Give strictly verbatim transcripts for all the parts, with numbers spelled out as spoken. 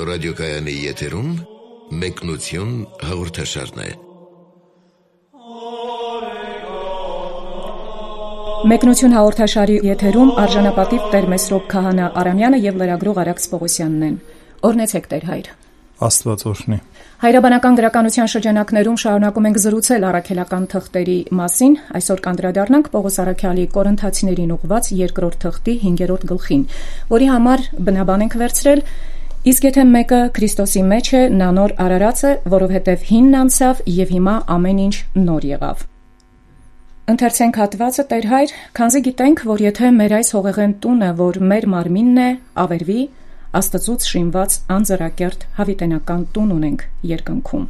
ռադիոկայանի եթերում մեկնություն հաղորդաշարն է։ Մեկնություն հաղորդաշարի եթերում արժանապատիվ Տեր Մեսրոպ Քահանա Արամյանը եւ լրագրող Արաքս Պողոսյանն են։ Օրհնեցեք Տեր հայր։ Աստված օրհնի։ Հայրաբանական գրականության շրջանակներում շարունակում ենք զրուցել առաքելական թղթերի մասին։ Այսօր կանդրադառնանք Պողոս Արաքյալի Կորինթացիներին ուղղված երկրորդ թղթի հինգերորդ գլխին, որի համար բնաբան ենք վերցրել. իսկ եթե մեկը Քրիստոսի մեջ է, նա նոր արարած է, որովհետև հինն անցավ եւ հիմա ամեն ինչ նոր եղավ։ Ընթերցենք հատվածը Տեր հայր, քանզի գիտենք, որ եթե մեր այս հողեղեն տունը, որ մեր մարմինն է, ավերվի, Աստծուց շինված անձրակերտ հավիտենական տուն ունենք երկնքում։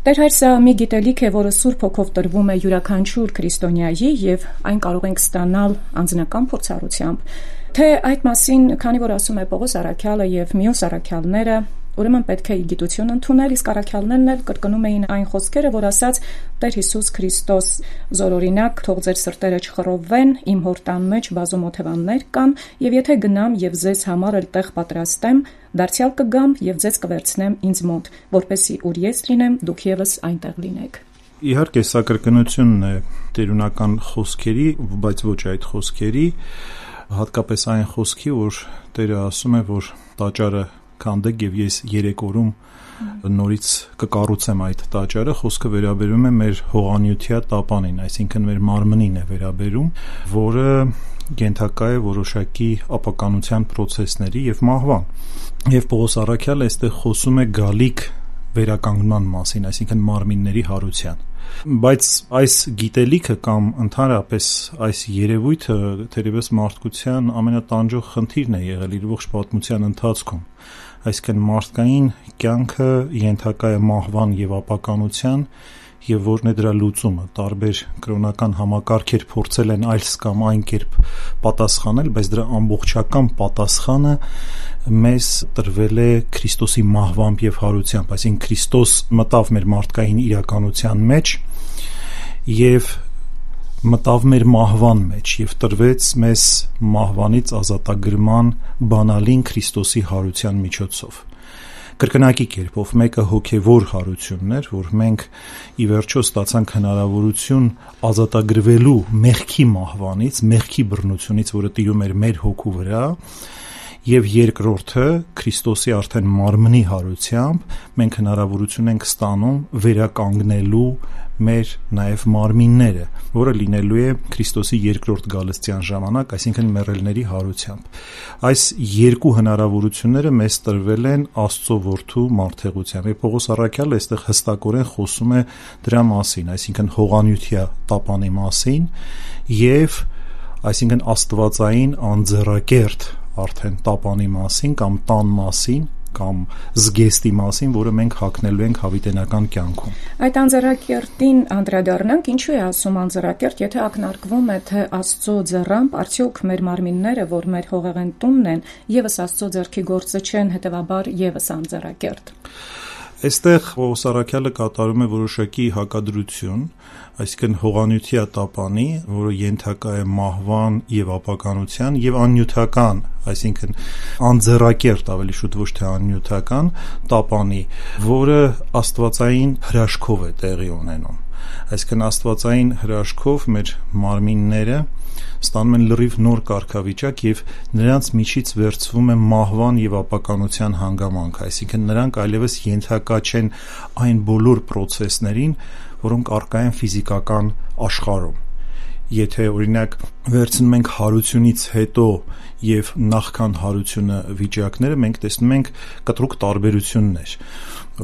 Տեր հայր, սա մի գիտելիք է, որը Սուրբ Հոգով տրվում է յուրաքանչյուր քրիստոնյայի եւ այն կարող ենք ստանալ անձնական փորձառությամբ, թե այդ մասին, քանի որ ասում է Պողոս Արաքյալը եւ մյուս առաքյալները, ուրեմն պետք է գիտություն ընդունել, իսկ առաքյալներն էլ կրկնում էին այն խոսքերը, որ ասաց Տեր Հիսուս Քրիստոս զորօրինակ, թող ձեր սրտերը չխռովվեն, իմ հոր տան մեջ բազում օթևաններ կան, եւ եթե գնամ եւ ձեզ համար էլ տեղ պատրաստեմ, դարձյալ կգամ եւ ձեզ կվերցնեմ ինձ մոտ, որպեսզի ուր ես լինեմ, դուք եւս այնտեղ լինեք։ Իհարկե, սա կրկնությունն է տերունական խոսքերի, բայց ոչ այդ խոսքերի, հատկապես այն խոսքի, որ Տերը ասում է, որ տաճարը քանդեք եւ ես երեք օրում նորից կկառուցեմ այդ տաճարը, խոսքը վերաբերում է մեր հողանյությա տապանին, այսինքն մեր մարմնին է վերաբերում, որը ենթակա է որոշակի ապականության process-ների եւ մահվան։ Եվ Պողոս Արաքյալը այստեղ խոսում է գալիք վերականգնման մասին, այսինքն մարմինների հարության։ Բայց այս գիտելիքը կամ ընդհանրապես այս երևույթը թերևս մարդկության ամենատանջող խնդիրն է եղել իր ողջ պատմության ընթացքում։ Այսինքն մարդկային կյանքը ենթակա է մահվան եւ ապականության, եւ որն է դրա լուծումը։ Տարբեր կրոնական համակարգեր փորձել են այլ կամ այն կերպ պատասխանել, բայց դրա ամբողջական պատասխանը մեզ տրվել է Քրիստոսի մահվամբ եւ հարությամբ, այսինքն Քրիստոս մտավ մեր մարդկային իրականության մեջ եւ մտավ մեր մահվան մեջ եւ տրվեց մեզ մահվանից ազատագրման բանալին Քրիստոսի հարության միջոցով։ Կրկնակի կերպով մեկը հոգևոր հարությունն էր, որ մենք ի վերջո ստացանք հնարավորություն ազատագրվելու մեղքի մահվանից, մեղքի բռնությունից, որը տիրում էր մեր հոգու վրա, եւ երկրորդը Քրիստոսի արդեն մարմնի հարությամբ մենք հնարավորություն ենք ստանում վերականգնելու մեր նաև մարմինները, որը լինելու է Քրիստոսի երկրորդ գալստյան ժամանակ, այսինքն մեռելների հարությամբ։ Այս երկու հնարավորությունները մեզ տրվել են Աստծո որդու մարդեղությամբ։ Եվ Պողոս Արաքյալը այստեղ հստակորեն խոսում է դրա մասին, այսինքն հողանյությա տապանի մասին եւ այսինքն աստվածային անձեռակերտ արդեն տապանի մասին կամ տան մասին կամ զգեստի մասին, որը մենք հագնելու ենք հավիտենական կյանքում։ Այդ անձեռակերտին անդրադառնանք, ինչու է ասում անձեռակերտ, եթե ակնարկվում է, թե Աստծո ձեռամբ արդյոք մեր մարմինները, որ մեր հողեղեն տունն են, եւս Աստծո ձեռքի գործը չեն, հետեւաբար եւս անձեռակերտ։ Այստեղ Պողոս Արաքյալը կատարում է որոշակի հակադրություն, այսինքն հողանյությա տապանի, որը ենթակա է մահվան եւ ապականության եւ աննյութական, այսինքն անձեռակերտ, ավելի շուտ ոչ թե աննյութական տապանի, որը աստվածային հրաշքով է տեղի ունենում։ Այսինքն աստվածային հրաշքով մեր մարմինները ստանում են լրիվ նոր կարգավիճակ եւ նրանց միջից վերցվում է մահվան եւ ապականության հանգամանք, այսինքն նրանք այլևս ենթակա չեն այն բոլոր process-ներին, որոնք առկա են ֆիզիկական աշխարհում։ Եթե օրինակ վերցնում ենք հարությունից հետո եւ նախքան հարությունը վիճակները, մենք տեսնում ենք կտրուկ տարբերություններ։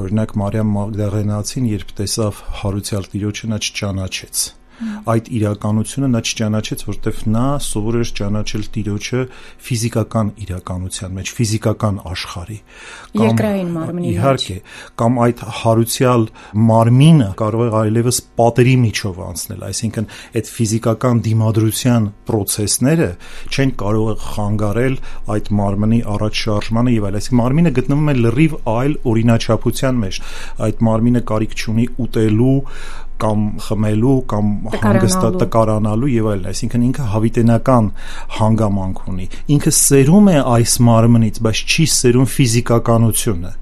Օրինակ Մարիամ Մագդաղենացին, երբ տեսավ հարուցյալ Տիրոջը, նա չճանաչեց։ Այդ իրականությունը նա չճանաչեց, որտեվ նա սովոր էր ճանաչել Տիրոջը ֆիզիկական իրականության մեջ, ֆիզիկական աշխարհի, երկրային մարմնի մեջ։ Իհարկե, կամ այդ հարուցյալ մարմինը կարող է այլևս պատերի միջով անցնել, այսինքն այդ ֆիզիկական դիմադրության process-ները չեն կարող խանգարել այդ մարմնի առաջ շարժմանը եւ այլ, այսինքն մարմինը գտնվում է լրիվ այլ օրինաչափության մեջ։ Այդ մարմինը կարիք չունի ուտելու կամ խմելու կամ հանգստա տկարանալու եւ այլն, այսինքն ինքը հավիտենական հանգամանք ունի, ինքը սերում է այս մարմնից, բայց չի սերում ֆիզիկականությունը,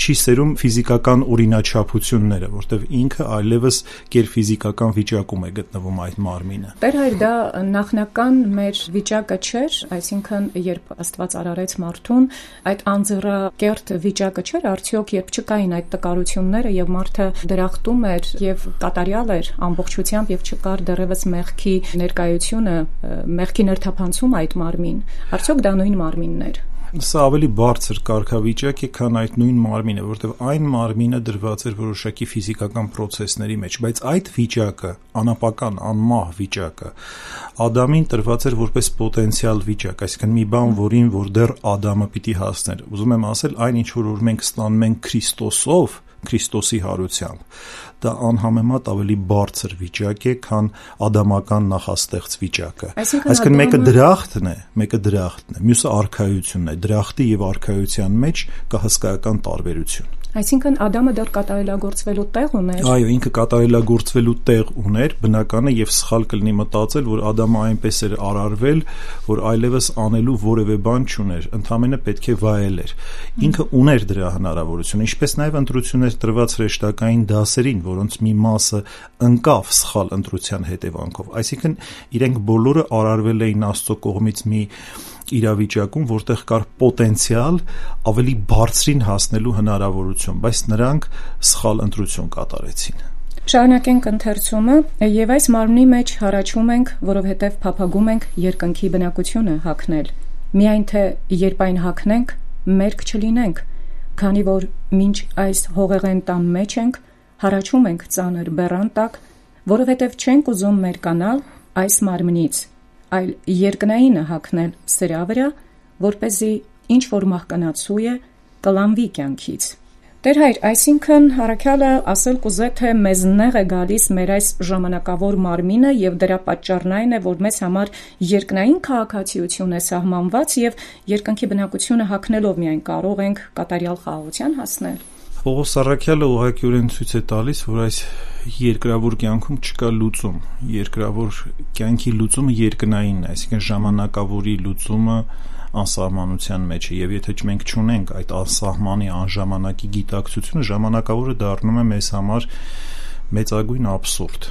չի սերում ֆիզիկական օրինաչափությունները, որտեղ ինքը այլևս կերֆիզիկական վիճակում է գտնվում այդ մարմինը։ Տեր հայր, դա նախնական մեր վիճակը չէր, այսինքն երբ Աստված արարեց մարդուն, այդ անձեռակերտ վիճակը չէր, արդյոք երբ չկային այդ տկարությունները եւ մարդը դրախտում էր եւ կատարյալ էր ամբողջությամբ եւ չկար դեռևս մեղքի ներկայությունը, մեղքի ներթափանցում այդ մարմին, արդյոք դա նույն մարմինն էր։ Սա ավելի բարձր կարգավիճակ է, քան այդ նույն մարմինը, որտեղ այն մարմինը դրված էր որոշակի ֆիզիկական process-ների մեջ, բայց այդ վիճակը, անապական, անմահ վիճակը, Ադամին տրված էր որպես պոտենցիալ վիճակ, այսինքն մի բան, որին որ դեռ Ադամը պիտի հասներ։ Ուզում եմ ասել, այն ինչ որ մենք ստանում ենք Քրիստոսով, Քրիստոսի հարությամբ, դա անհամեմատ ավելի բարձր վիճակ է, քան ադամական նախաստեղծ վիճակը։ Այսինքն մեկը դրախտն է, մեկը դրախտն է, մյուսը արքայությունն է, դրախտի եւ արքայության մեջ կա հսկայական տարբերություն։ Այսինքն Ադամը դեռ կատարելագործվելու տեղ ուներ։ Այո, ինքը կատարելագործվելու տեղ ուներ, բնական է եւ սխալ կլինի մտածել, որ Ադամը այնպես էր արարվել, որ այլևս անելու որևէ բան չուներ, ընդհանրապես պետք է վայելեր։ Ինքը ուներ դրա հնարավորությունը, ինչպես նաեւ ընտրություններ տրված հրեշտակային դասերին, որոնց մի մասը ընկավ սխալ ընտրության հետևանքով։ Այսինքն իրենք բոլորը արարվել էին Աստծո կողմից մի իրավիճակում, որտեղ կար պոտենցիալ ավելի բարձրին հասնելու հնարավորություն, բայց նրանք սխալ ընտրություն կատարեցին։ Շարունակենք ընթերցումը, եւ այս մարմնի մեջ հառաչում ենք, որովհետեւ փափագում ենք երկնքի բնակությունը հագնել։ Միայն թե երբ այն հագնենք, մերկ չլինենք, քանի որ մինչ այս հողեղեն տան մեջ ենք, հառաչում ենք ծանր բեռան տակ, որովհետեւ չենք ուզում մերկանալ այս մարմնից, այլ երկնայինը հագնել սրա վրա, որպեսզի ինչ որ մահկանացու է կլանվի կյանքից։ Տեր հայր, այսինքն առաքյալը ասել կուզե, թե մեզ նեղ է գալիս մեր այս ժամանակավոր մարմինը եւ դրա պատճառն այն է, որ մեզ համար երկնային քաղաքացիություն է սահմանված եւ երկնքի բնակությունը հագնելով միայն կարող ենք կատարյալ խաղաղության հասնել։ Պողոս առաքյալը ուղղակիորեն ցույց է տալիս, որ այս երկրավոր կյանքում չկա լուծում։ Երկրավոր կյանքի լուծումը երկնայինն է, այսինքն ժամանակավորի լուծումը անսահմանության մեջ է, եւ եթե մենք չունենք այդ անսահմանի անժամանակի գիտակցությունը, ժամանակավորը դառնում է մեզ համար մեծագույն աբսուրդ,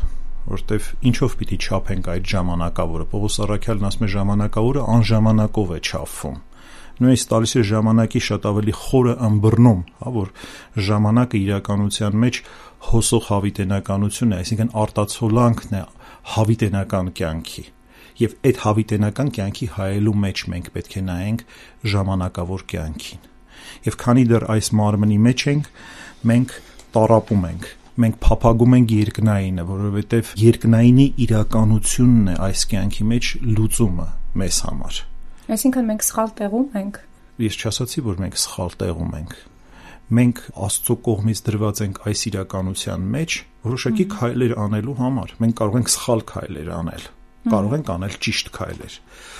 որտեվ ինչով պիտի չափենք այդ ժամանակավորը։ Պողոս առաքյալն ասում է ժամանակավորը անժամանակով է չափվում։ Նույնիսկ տալիս է ժամանակի շատ ավելի խորը ըմբռնում, հա, որ ժամանակը իրականության մեջ հոսող հավիտենականություն է, այսինքն արտացոլանքն է հավիտենական կյանքի։ Եվ այդ հավիտենական կյանքի հայելու մեջ մենք պետք է նայենք ժամանակավոր կյանքին։ Եվ քանի դեռ այս մարմնի մեջ ենք, մենք տառապում ենք, մենք փափագում ենք երկնայինը, որովհետև երկնայինի իրականությունն է այս կյանքի մեջ լուծումը մեզ համար։ Այսինքն մենք սխալ տեղում ենք։ Ես չասացի, որ մենք սխալ տեղում ենք։ Մենք Աստծո կողմից դրված ենք այս իրականության մեջ որոշակի քայլեր անելու համար։ Մենք կարող ենք սխալ քայլեր անել, կարող ենք անել ճիշտ քայլեր։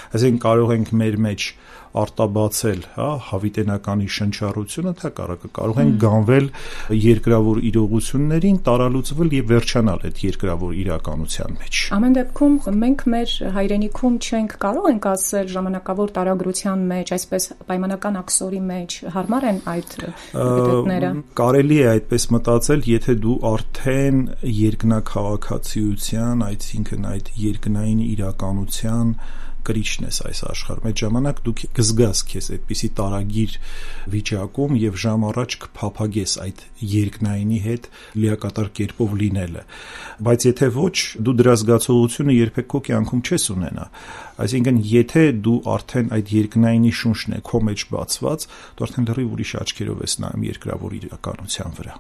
Այսինքն կարող ենք մեր մեջ արտաբացել, հա, հավիտենականի շնչառությունը, թակարակը կարող են գանվել երկրավոր իրողություններին, տարալուծվել եւ վերջանալ այդ երկրավոր իրականության մեջ։ Ամեն դեպքում մենք մեր հայրենիքում չենք կարող ենք ասել ժամանակավոր տարագրության մեջ, այսպես պայմանական աքսորի մեջ հարմար են այդ դեպքերը։ Կարելի է այդպես մտածել, եթե դու արդեն երկնակաղաքացիության, այսինքն այդ երկնային իրականության կրիչն ես այս աշխարհում, այդ ժամանակ դու կզգաս քեզ այդպիսի տարագիր վիճակում եւ ժամ առաջ կփափագես այդ երկնայինի հետ լիակատար կերպով լինելը, բայց եթե ոչ, դու դրա զգացողությունը երբեք քո կյանքում չես ունենա, այսինքն եթե դու արդեն այդ երկնայինի շունչն է քո մեջ բացված, դու արդեն լրիվ ուրիշ աչքերով ես նայում երկրավոր իրականության վրա։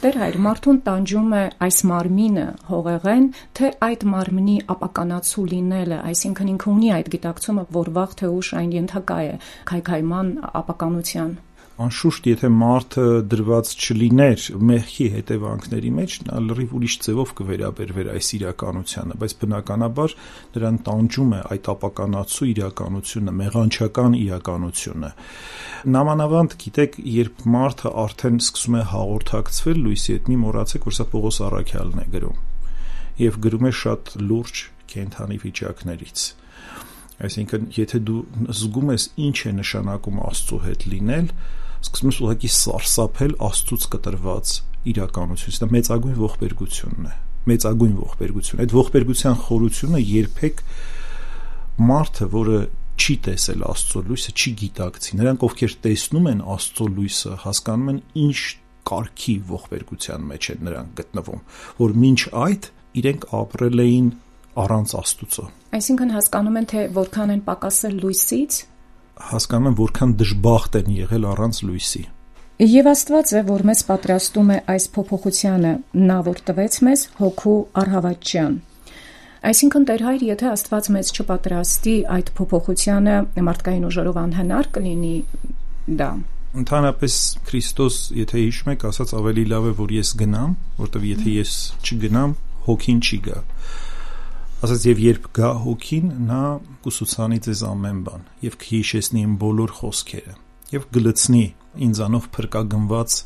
Տեր հայր, մարդուն տանջում է այս մարմինը հողեղեն, թե այդ մարմնի ապականացու լինելը, այսինքն ինքը ունի այդ գիտակցումը, որ վաղ թե ուշ այն ենթակա է քայքայման ապականության։ Անշուշտ, եթե մարդը դրված չլիներ մեղքի հետևանքների մեջ, նա լրիվ ուրիշ ձևով կվերաբերվեր այս իրականությանը, բայց բնականաբար նրան տանջում է այդ ապականացու իրականությունը, մեղանչական իրականությունը։ Նամանավանդ, գիտեք, երբ մարդը արդեն սկսում է հաղորդակցվել լույսի հետ, մի մոռացեք, որ սա Պողոս առաքյալն է գրում։ եւ գրում է շատ լուրջ կենդանի վիճակներից։ Այսինքն, եթե դու զգում ես ինչ է նշանակում Աստծո հետ լինել, սկսում ես ուղղակի սարսափել Աստծուց կտրված իրականությունից։ Դա մեծագույն ողբերգությունն է, մեծագույն ողբերգություն։ Այդ ողբերգության խորությունը երբեք մարդը, որը չի տեսել Աստծո լույսը, չի գիտակցի։ Նրանք, ովքեր տեսնում են Աստծո լույսը, հասկանում են ինչ կարգի ողբերգության մեջ են նրանք գտնվում, որ մինչ այդ իրենք ապրել էին առանց Աստծո։ Այսինքն հասկանում են, թե որքան են պակասել լույսից, հասկանում են, որքան դժբախտ են եղել առանց լույսի։ Եվ Աստված է, որ մեզ պատրաստում է այս փոփոխությանը, նա որ տվեց մեզ հոգու առհավատչյան։ Այսինքն Տեր Հայր, եթե Աստված մեզ չպատրաստի այդ փոփոխությանը, մարդկային ուժերով անհնար կլինի դա։ Ընդհանրապես Քրիստոս, եթե հիշում եք, ասաց ավելի լավ է, որ ես գնամ, որտեղ եթե ես չգնամ, հոգին չի գա։ Ասաց եւ երբ գա հոգին, նա կուսուցանի ձեզ ամեն բան եւ կհիշեցնի իմ բոլոր խոսքերը եւ գլցնի ինձանով փրկագնված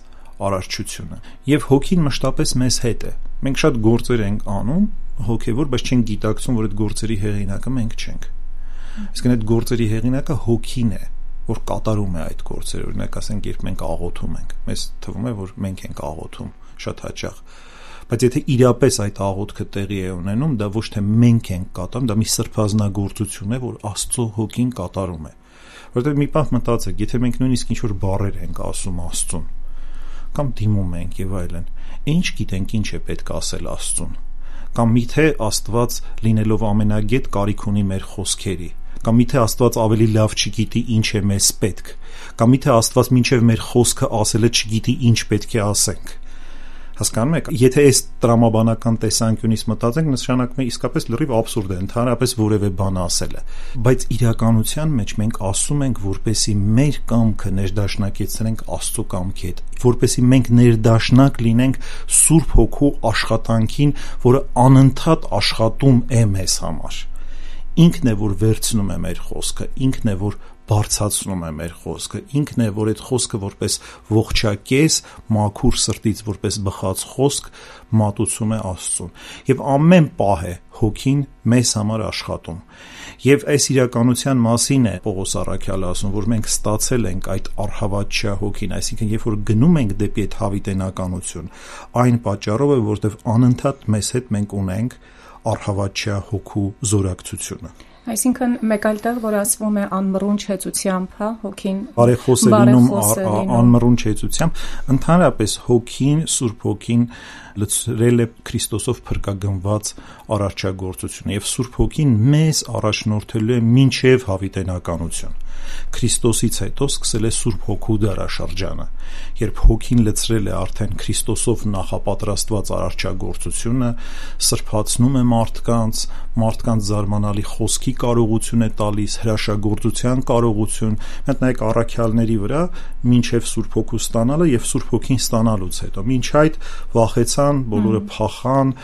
արարչությունը։ Եվ հոգին մշտապես մեզ հետ է։ Մենք շատ գործեր ենք անում հոգեվոր, բայց չենք գիտակցում, որ այդ գործերի հեղինակը մենք չենք։ Իսկ այդ գործերի հեղինակը հոգին է, որ կատարում է այդ գործերը։ Օրինակ ասենք, երբ մենք աղոթում ենք, մեզ թվում է, որ մենք ենք աղոթում շատ հաճախ։ Բայց եթե իրապես այդ աղոթքը տեղի է ունենում, դա ոչ թե մենք ենք կատարում, դա մի սրբազնագործություն է, որ Աստծո հոգին կատարում է։ Որտեղ մի պահ մտածեք, եթե մենք նույնիսկ ինչ-որ բառեր ենք ասում Աստծուն, կամ դիմում ենք եւ այլն, ինչ գիտենք ինչ է պետք ասել Աստծուն, կամ միթե Աստված լինելով ամենագետ կարիք ունի մեր խոսքերի, կամ միթե Աստված ավելի լավ չգիտի ինչ է մեզ պետք, կամ միթե Աստված մինչև մեր խոսքը ասելը չգիտի ինչ պետք է ասենք։ Հասկանում եք, եթե այս տրամաբանական տեսանկյունից մտածենք, նշանակում է իսկապես լրիվ աբսուրդ է ընդհանրապես որևէ բան ասելը, բայց իրականության մեջ մենք ասում ենք, որպեսզի մեր կամքը ներդաշնակեցնենք Աստծո կամքի հետ, որպեսզի մենք ներդաշնակ լինենք Սուրբ Հոգու աշխատանքին, որը անընդհատ աշխատում է մեզ համար։ Ինքն է, որ վերցնում է մեր խոսքը, ինքն է, որ բարձրացնում է մեր խոսքը, ինքն է, որ այդ խոսքը որպես ողջակեզ, մաքուր սրտից որպես բխած խոսք մատուցում է Աստծուն։ Եվ ամեն պահ է հոգին մեզ համար աշխատում։ Եվ այս իրականության մասին է Պողոս առաքյալը ասում, որ մենք ստացել ենք այդ առհավատչյա հոգին, այսինքն երբ որ գնում ենք դեպի այդ հավիտենականություն, այն պատճառով է, որովհետև անընդհատ մեզ հետ մենք ունենք առհավատչյա հոգու զորակցությունը։ Այսինքն մեկ այլ տեղ, որ ասվում է անմռունչ հեծությամբ, հա, հոգին բարեխոս է լինում անմռունչ հեծությամբ, ընդհանրապես հոգին, Սուրբ Հոգին լցրել է Քրիստոսով փրկագնված արարչագործությունը եւ Սուրբ Հոգին մեզ առաջնորդելու է մինչեւ հավիտենականություն։ Քրիստոսից հետո սկսել է Սուրբ Հոգու դարաշրջանը, երբ Հոգին լցրել է արդեն Քրիստոսով նախապատրաստված արարչագործությունը, սրբացնում է մարդկանց, մարդկանց զարմանալի խոսքի կարողություն է տալիս, հրաշագործության կարողություն։ Մենք նայեք առաքյալների վրա, մինչև Սուրբ Հոգու ստանալը եւ Սուրբ Հոգին ստանալուց հետո, մինչ այդ վախեցան, բոլորը փախան,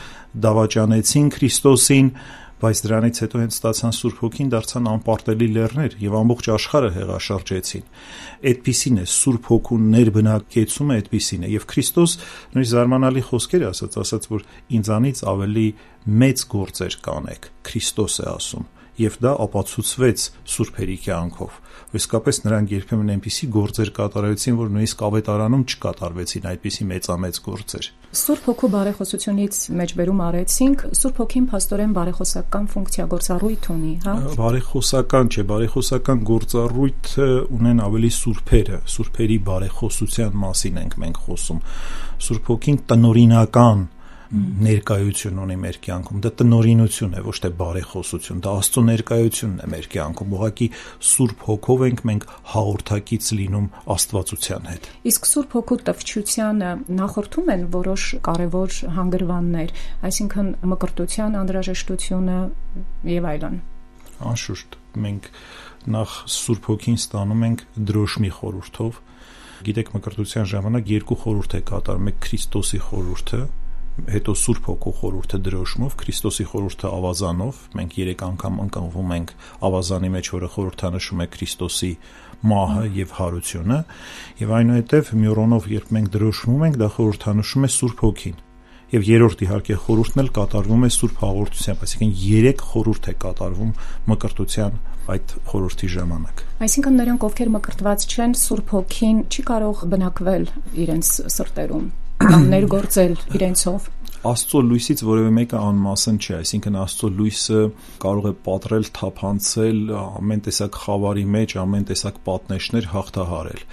դավաճանեցին Քրիստոսին, բայց դրանից հետո հենց ստացան Սուրբ Հոգին, դարձան անպարտելի լեռներ եւ ամբողջ աշխարհը հեղաշրջեցին։ Այդպիսին է Սուրբ Հոգու ներբնակեցումը, այդպիսին է եւ Քրիստոս նույն զարմանալի խոսքեր ասաց, ասաց, որ ինձանից ավելի մեծ գործեր կանեք, Քրիստոս է ասում, եւ դա ապացուցվեց սուրբերի կյանքով։ Իսկապես նրանք երբեմն այնպիսի գործեր կատարեցին, որ նույնիսկ ավետարանում չկատարվեցին այդպիսի մեծամեծ գործեր։ Սուրբ Հոգու բարեխոսությունից մեջբերում արեցինք, Սուրբ Հոգին փաստորեն բարեխոսական ֆունկցիա գործառույթ ունի, հա։ Բարեխոսական չէ, բարեխոսական գործառույթ ունեն ավելի սուրբերը, սուրբերի բարեխոսության մասին ենք մենք խոսում։ Սուրբ Հոգին տնօրինական ներկայություն ունի մեր կյանքում, դա տնօրինություն է, ոչ թե բարեխոսություն, դա Աստծո ներկայությունն է մեր կյանքում, ուղղակի Սուրբ Հոգով ենք մենք հաղորդակից լինում Աստվածության հետ։ Իսկ Սուրբ Հոգու տվչությանը նախորդում են որոշ կարևոր հանգրվաններ, այսինքն մկրտության անհրաժեշտությունը եւ այլն։ Անշուշտ, մենք նախ Սուրբ Հոգին ստանում ենք դրոշմի խորհրդով։ Գիտեք, մկրտության ժամանակ երկու խորհուրդ է կատարում, մեկ Քրիստոսի խորհուրդը, հետո Սուրբ Հոգու խորհուրդը դրոշմով, Քրիստոսի խորհուրդը ավազանով, մենք երեք անգամ ընկնվում ենք ավազանի մեջ, որը խորհրդանշում է Քրիստոսի մահը եւ հարությունը, եւ այնուհետեւ մյուրոնով երբ մենք դրոշմում ենք, դա խորհրդանշում է Սուրբ Հոգին։ Եվ երրորդ իհարկե խորհուրդն էլ կատարվում է Սուրբ Հաղորդությամբ, այսինքն երեք խորհուրդ է կատարվում մկրտության այդ խորհրդի ժամանակ։ Այսինքն նրանք, ովքեր մկրտված չեն, Սուրբ Հոգին չի կարող բնակվել իրենց սրտերում կամ ներգործել իրենցով։ Աստծո լույսից որևէ մեկը անմասն չէ, այսինքն Աստծո լույսը կարող է պատռել, թափանցել, ամեն տեսակ խավարի մեջ, ամեն տեսակ պատնեշներ հաղթահարել,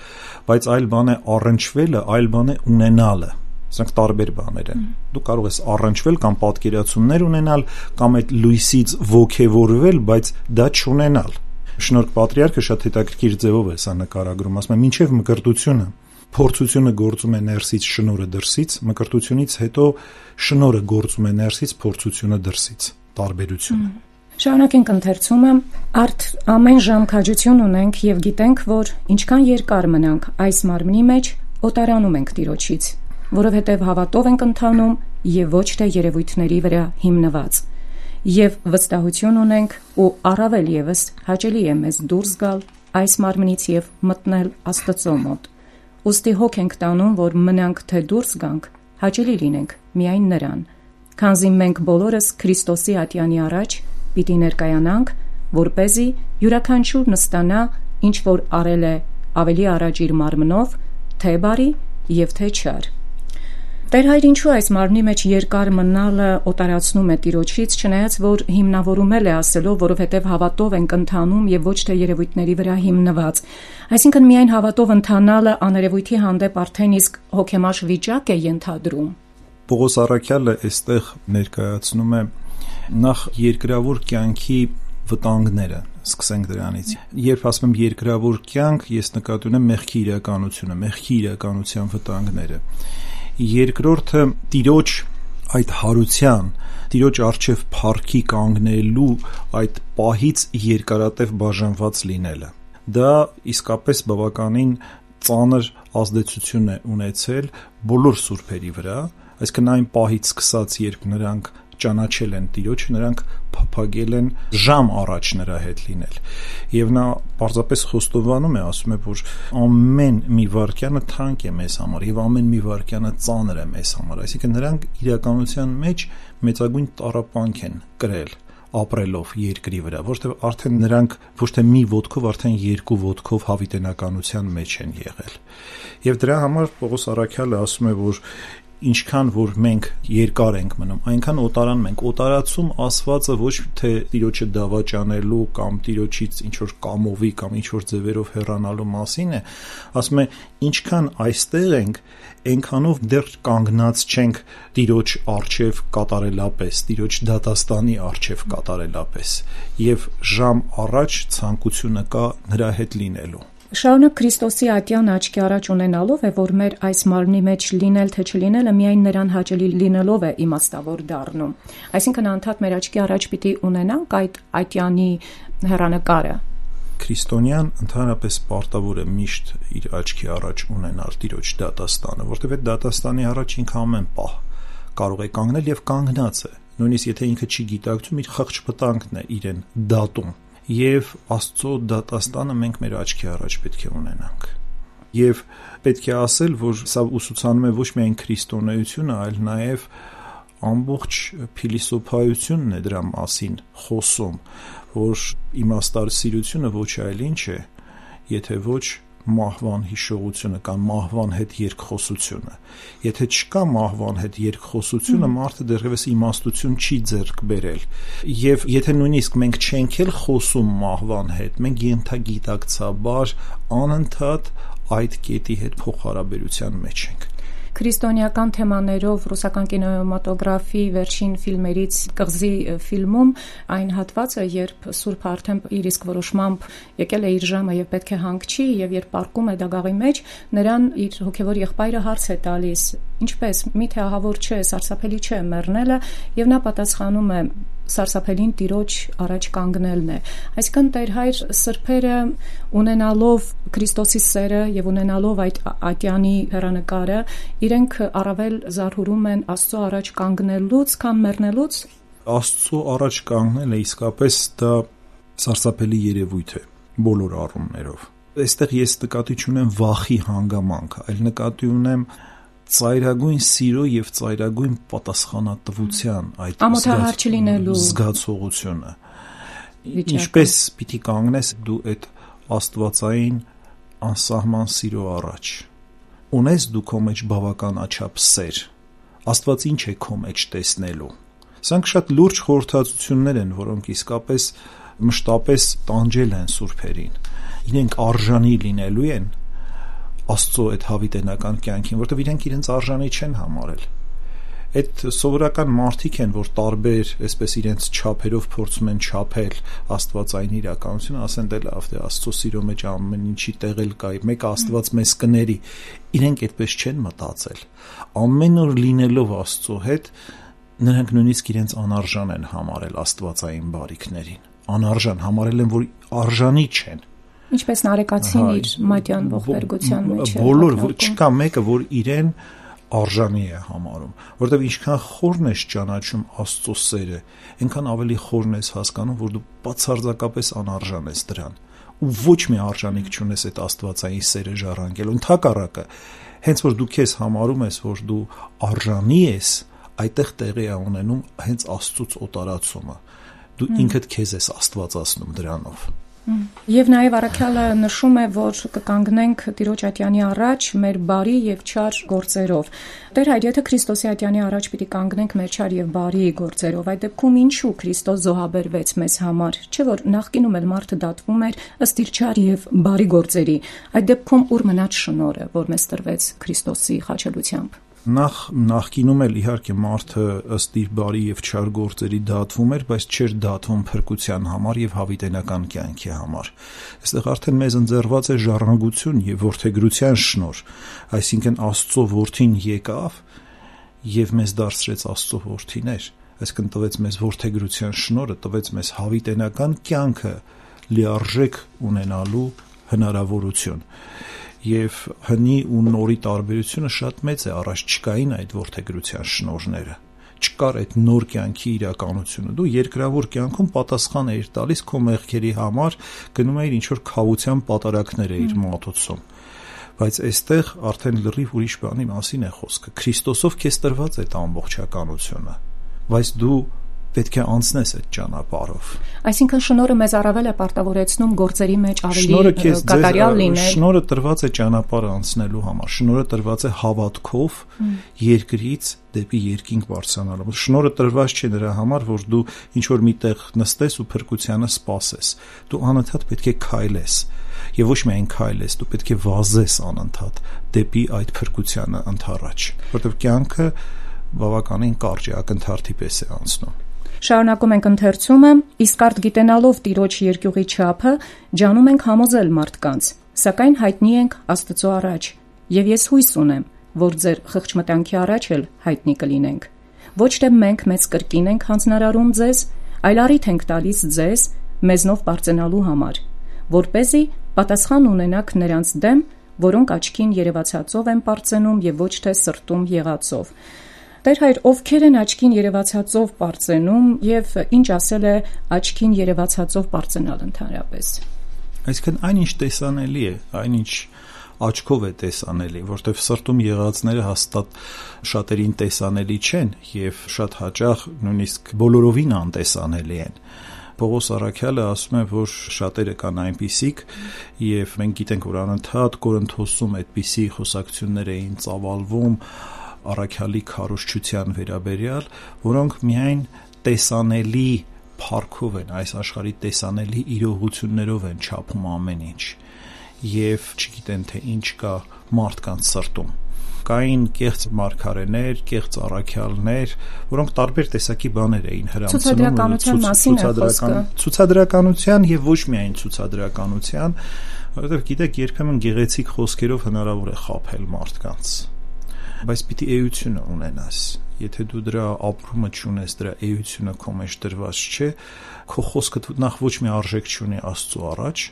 բայց այլ բան է առնչվելը, այլ բան է ունենալը։ Սրանք տարբեր բաներ են։ Դու կարող ես առնչվել կամ պատկերացումներ ունենալ, կամ այդ լույսից ոգևորվել, բայց դա չունենալ։ Շնորհք Պատրիարքը շատ հետաքրքիր ձևով է սա նկարագրում, ասում է մինչև մկրտությունը փորձությունը գործում է ներսից, շնորհը դրսից, մկրտությունից հետո շնորհը գործում է ներսից, փորձությունը դրսից, տարբերությունը։ Շարունակենք ընթերցումը, արդ ամեն ժամ քաջություն ունենք եւ գիտենք, որ ինչքան երկար մնանք այս մարմնի մեջ, օտարանում ենք Տիրոջից, որովհետեւ հավատով ենք ընթանում եւ ոչ թե երևույթների վրա հիմնված։ Եվ վստահություն ունենք ու առավել եւս հաճելի է մեզ դուրս գալ այս մարմնից եւ մտնել Աստծո մոտ։ Ուստի հոգ ենք տանում, որ մնանք թե դուրս գանք, հաճելի լինենք միայն նրան, քանզի մենք բոլորս Քրիստոսի ատյանի առաջ պիտի ներկայանանք, որպեսզի յուրաքանչյուր նստանա, ինչ որ արել է ավելի առաջ իր մարմնով, թե բարի եւ թե չար։ Տեր Հայր, ինչու այս մարմնի մեջ երկար մնալը օտարացնում է Տիրոջից, չնայած որ հիմնավորումել է ասելով, որովհետև հավատով ենք ընթանում եւ ոչ թե երևույթների վրա հիմնված։ Այսինքն միայն հավատով ընթանալը աներևույթի հանդեպ արդեն իսկ հոգեմաշ վիճակ է ենթադրում։ Պողոս առաքյալը այստեղ ներկայացնում է նախ երկրավոր կյանքի վտանգները, սկսենք դրանից։ Երբ ասում եմ երկրավոր կյանք, ես նկատի ունեմ մեղքի իրականությունը, մեղքի իրականության վտանգները։ Երկրորդը Տիրոջ այդ հարության, Տիրոջ առջև փառքի կանգնելու այդ պահից երկարատև բաժանված լինելը։ Դա իսկապես բավականին ծանր ազդեցություն է ունեցել բոլոր սուրբերի վրա, այսինքն այն պահից սկսած, երբ նրանք ճանաչել են Տիրոջը, նրանք փափագել են ժամ առաջ նրա հետ լինել։ Եվ նա պարզապես խոստովանում է, ասում է, որ ամեն մի վայրկյանը թանկ է մեզ համար եւ ամեն մի վայրկյանը ծանր է մեզ համար, այսինքն նրանք իրականության մեջ մեծագույն տառապանք են կրել ապրելով երկրի վրա, որովհետեւ արդեն նրանք ոչ թե մի ոտքով, արդեն երկու ոտքով հավիտենականության մեջ են եղել։ Եւ դրա համար Պողոս առաքյալը ասում է, որ ինչքան որ մենք երկար ենք մնում, այնքան օտարանում ենք։ Օտարացում ասվածը ոչ թե Տիրոջը դավաճանելու կամ Տիրոջից ինչ որ կամովի կամ ինչ որ ձևերով հեռանալու մասին է, ասում է ինչքան այստեղ ենք, այնքանով դեռ կանգնած չենք Տիրոջ առջև կատարելապես, Տիրոջ դատաստանի առջև կատարելապես, եւ ժամ առաջ ցանկությունը կա նրա հետ լինելու։ Շարունակ Քրիստոսի ատյան աչքի առաջ ունենալով է, որ մեր այս մարմնի մեջ լինել թե չլինելը միայն նրան հաճելի լինելով է իմաստավոր դառնում։ Այսինքն անդադ մեր աչքի առաջ պիտի ունենանք այդ ատյանի հեռանկարը։ Քրիստոնյան ընդհանրապես պարտավոր է միշտ իր աչքի առաջ ունենալ Տիրոջ դատաստանը, որտեղ այդ դատաստանի առաջ ինքը ամեն պահ կարող է կանգնել եւ կանգնած է։ Նույնիսկ եթե ինքը չի գիտակցում, իր խղճ վտանգն է իրեն դատում։ Եվ Աստծո դատաստանը մենք մեր աչքի առաջ պետք է ունենանք։ Եվ պետք է ասել, որ սա ուսուցանում է ոչ միայն քրիստոնեությունը, այլ նաև ամբողջ փիլիսոփայությունն է դրա մասին խոսում, որ իմաստասիրությունը ոչ այլ ինչ է, եթե ոչ մահվան հիշողությունը կամ մահվան հետ երկխոսությունը։ Եթե չկա մահվան հետ երկխոսությունը, մարդը դեռևս իմաստություն չի ձեռք բերել։ Եվ եթե նույնիսկ մենք չենք էլ խոսում մահվան հետ, մենք ենթագիտակցաբար անընդհատ այդ կետի հետ փոխհարաբերության մեջ ենք։ Քրիստոնեական թեմաներով ռուսական կինեմատոգրաֆի վերջին ֆիլմերից կղզի ֆիլմում այն հատվածը, երբ Սուրբը արդեն իր իսկ որոշմամբ եկել է իր ժամը եւ պետք է հանգչի, եւ երբ պառկում է դագաղի մեջ, նրան իր հոգեվոր եղբայրը հարց է տալիս. ինչպես, միթե ահավոր չէ, սարսափելի չէ մեռնելը, եւ նա պատասխանում է. սարսափելին Տիրոջ առաջ կանգնելն է։ Այսինքն Տեր Հայր սրբերը ունենալով Քրիստոսի սերը եւ ունենալով այդ ատյանի հեռանկարը, իրենք առավել զարհուրում են Աստծո առաջ կանգնելուց, քան մեռնելուց։ Աստծո առաջ կանգնելը իսկապես դա սարսափելի երևույթ է բոլոր առումներով։ Այստեղ ես նկատի չունեմ վախի հանգամանք, այլ նկատի ունեմ ծայրագույն սիրո եւ ծայրագույն պատասխանատվության այդ ամոթահար չլինելու զգացողությունը։ Ինչպես պիտի կանգնես դու այդ աստվածային անսահման սիրո առաջ։ Ունես դու քո մեջ բավական աչափ սեր։ Աստված ինչ է քո մեջ տեսնելու։ Սրանք շատ լուրջ խորհրդածություններ են, որոնք իսկապես մշտապես տանջել են սուրբերին։ Իրենք արժանի լինելու են Աստծո այդ հավիտենական կյանքին, որտեղ իրենք իրենց արժանի չեն համարել։ Այդ սովորական մարդիկ են, որ տարբեր, այսպես իրենց չափերով փորձում են չափել աստվածային իրականությունը, ասեն դե լավ, դե Աստծո սիրո մեջ ամեն ինչի տեղ էլ կա, մեկը Աստված մեզ կների։ Իրենք այդպես չեն մտածել։ Ամեն օր լինելով Աստծո հետ, նրանք նույնիսկ իրենց անարժան են համարել աստվածային բարիքներին։ Անարժան համարել են, որ արժանի չեն։ Ինչպես Նարեկացին իր մատյան ողբերգության մեջ է։ Բոլոր չկա մեկը, որ իրեն արժանի է համարում, որովհետև ինչքան խորն ես ճանաչում Աստծո սերը, այնքան ավելի խորն ես հասկանում, որ դու բացարձակապես անարժան ես դրան, ու ոչ մի արժանիք չունես այդ աստվածային սերը ժառանգելու։ Ընդհակառակը, հենց որ դու քեզ համարում ես, որ դու արժանի ես, այդտեղ տեղի է ունենում հենց Աստծուց օտարացումը։ Դու ինքդ քեզ ես աստվածացնում դրանով։ Եվ նաև առաքյալը նշում է, որ կկանգնենք Տիրոջ ատյանի առաջ մեր բարի եւ չար գործերով։ Տեր հայր, եթե Քրիստոսի ատյանի առաջ պիտի կանգնենք մեր չար եւ բարի գործերով, այդ դեպքում ինչու Քրիստոս զոհաբերվեց մեզ համար, չէ՞ որ նախկինում էլ մարդը դատվում էր ըստ իր չար եւ բարի գործերի։ Այդ դեպքում ուր մնաց շնորհը, որ մեզ տրվեց Քրիստոսի խաչելությամբ։ Նախ նախկինում էլ իհարկե մարդը ըստ իր բարի եւ չար գործերի դատվում էր, բայց չէր դատվում փրկության համար եւ հավիտենական կյանքի համար։ Այստեղ արդեն մեզ ընձեռված է ժառանգություն եւ որդեգրության շնորհ, այսինքն Աստծո որդին եկավ եւ մեզ դարձրեց Աստծո որդիներ, այսինքն տվեց մեզ որդեգրության շնորհը, տվեց մեզ հավիտենական կյանքը լիարժեք ունենալու հնարավորություն։ Եվ հնի ու նորի տարբերությունը շատ մեծ է, առաջ չկային այդ որդեգրության շնորհները, չկար այդ նոր կյանքի իրականությունը։ Դու երկրավոր կյանքում պատասխան էիր տալիս քո մեղքերի համար, գնում էիր ինչ-որ քավության պատարակներ էիր մատուցում, բայց այստեղ արդեն լրիվ ուրիշ բանի մասին է խոսքը։ Քրիստոսով քեզ տրված է այդ ամբողջականությունը, բայց դու պետք է անցնես այդ ճանապարհով։ Այսինքն շնորհը մեզ առավել է պարտավորեցնում գործերի մեջ ավելի կատարյալ լինել։ Շնորհը տրված է ճանապարհը անցնելու համար։ Շնորհը տրված է հավատքով երկրից դեպի երկինք բարձրանալու։ Շնորհը տրված չէ նրա համար, որ դու ինչ որ միտեղ նստես ու փրկությանը սպասես։ Դու անընդհատ պետք է քայլես։ Եվ ոչ միայն քայլես, դու պետք է վազես անընդհատ դեպի այդ փրկությանը ընդառաջ, որովհետև կյանքը բավականին կարճ է, ակնթարթի պես է անցնում։ Շարունակում ենք ընթերցումը, իսկ արդ գիտենալով Տիրոջ երկյուղի չափը, ջանում ենք համոզել մարդկանց, սակայն հայտնի ենք Աստծո առաջ, եւ ես հույս ունեմ, որ ձեր խղճմտանքի առաջ էլ հայտնի կլինենք։ Ոչ թե մենք մեծ կրկին ենք հանձնարարում ձեզ, այլ առիթ ենք տալիս ձեզ մեզնով բարձենալու համար, որպեսզի պատասխան ունենաք նրանց դեմ, որոնք աչքին երևացածով են բարձենում եւ ոչ թե սրտում եղածով։ Տեր հայր, ովքեր են աչքին երևացածով բարձենում եւ ինչ ասել է աչքին երևացածով բարձենալ ընդհանրապես։ Այսինքն այնինչ տեսանելի է, այնինչ աչքով է տեսանելի, որտեղ սրտում եղածները հաստատ շատերին տեսանելի չեն եւ շատ հաճախ նույնիսկ բոլորովին անտեսանելի են։ Պողոս առաքյալը ասում է, որ շատերը կան այնպիսիք եւ մենք գիտենք, որ անընդհատ Կորինթոսում այդպիսի խոսակցություններ էին ծավալվում առաքյալի քարոզչության վերաբերյալ, որոնք միայն տեսանելի փառքով են, այս աշխարհի տեսանելի իրողություններով են չափում ամեն ինչ եւ չգիտեն թե ինչ կա մարդկանց սրտում։ Կային կեղծ մարգարեներ, կեղծ առաքյալներ, որոնք տարբեր տեսակի բաներ էին հրամցնում ցուցադրականության մասին է խոսքը։ Ցուցադրականության եւ ոչ միայն ցուցադրականության, որովհետեւ գիտեք, երբեմն գեղեցիկ խոսքերով հնարավոր է խաբել մարդկանց, բայց պիտի էությունը ունենաս։ Եթե դու դրա ապրումը չունես, դրա էությունը քո մեջ դրված չէ, քո խոսքը նախ ոչ մի արժեք չունի Աստծո առաջ,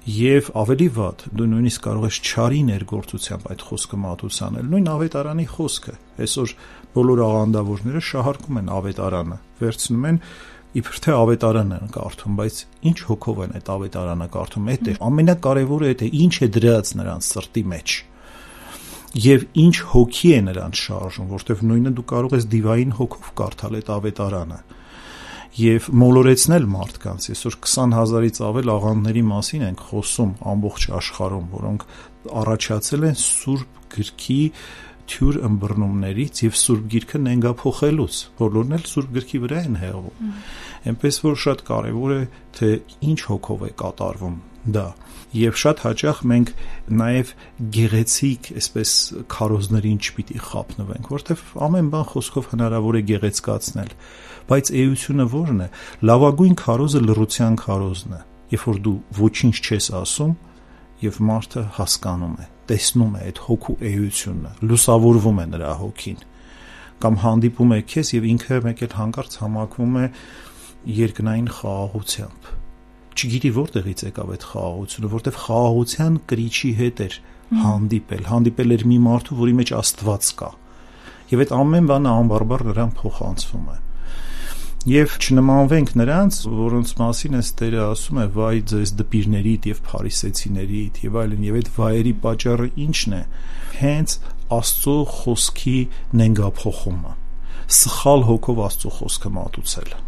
եւ ավելի վատ, դու նույնիսկ կարող ես չարի ներգործությամբ այդ խոսքը մատուցանել։ Նույն ավետարանի խոսքը։ Այսօր բոլոր աղանդավորները շահարկում են ավետարանը, վերցնում են իբր թե ավետարանը են կարդում, բայց ինչ հոգով են այդ ավետարանը կարդում։ Այդ է ամենակարևորը, այդ է ինչ է դրած նրանց սրտի մեջ։ եւ ինչ հոգի է նրանց շարժում, որտեվ նույնը դու կարող ես դիվային հոգով կարդալ այդ ավետարանը եւ մոլորեցնել մարդկանց։ Այսօր քսան հազարից ավել աղանդների մասին ենք խոսում ամբողջ աշխարհում, որոնք առաջացել են Սուրբ գրքի թյուր ըմբռնումներից եւ Սուրբ գիրքը նենգափոխելուց, բոլորն էլ Սուրբ գրքի վրա են հեղվում։ Այնպես որ շատ կարեւոր է թե ինչ հոգով է կատարվում դա։ Եվ շատ հաճախ մենք նաև գեղեցիկ, այսպես քարոզներին չպիտի խափնվենք, որտեվ ամեն բան խոսքով հնարավոր է գեղեցկացնել, բայց էությունը ո՞րն է։ Լավագույն քարոզը լռության քարոզն է, երբ որ դու ոչինչ չես ասում եւ մարդը հասկանում է, տեսնում է այդ հոգու էությունը, լուսավորվում է նրա հոգին, կամ հանդիպում է քեզ եւ ինքը մեկ էլ հանկարծ համակվում է երկնային խաղաղությամբ։ Չգիտի որտեղից եկավ այդ խաղաղությունը, որտեվ խաղաղության կրիչի հետ էր հանդիպել, հանդիպել էր մի մարդու, որի մեջ Աստված կա։ Եվ այդ ամեն բանը անբարբար նրան փոխանցվում է։ Եվ չնմանվենք նրանց, որոնց մասին այս Տերը ասում է՝ վայ ձեզ դպիրներիդ եւ փարիսեցիներիդ եւ այլն, եւ այդ վայերի պատճառը ի՞նչն է։ Հենց Աստծո խոսքի նենգափոխումը, սխալ հոգով Աստծո խոսքը մատուցելը։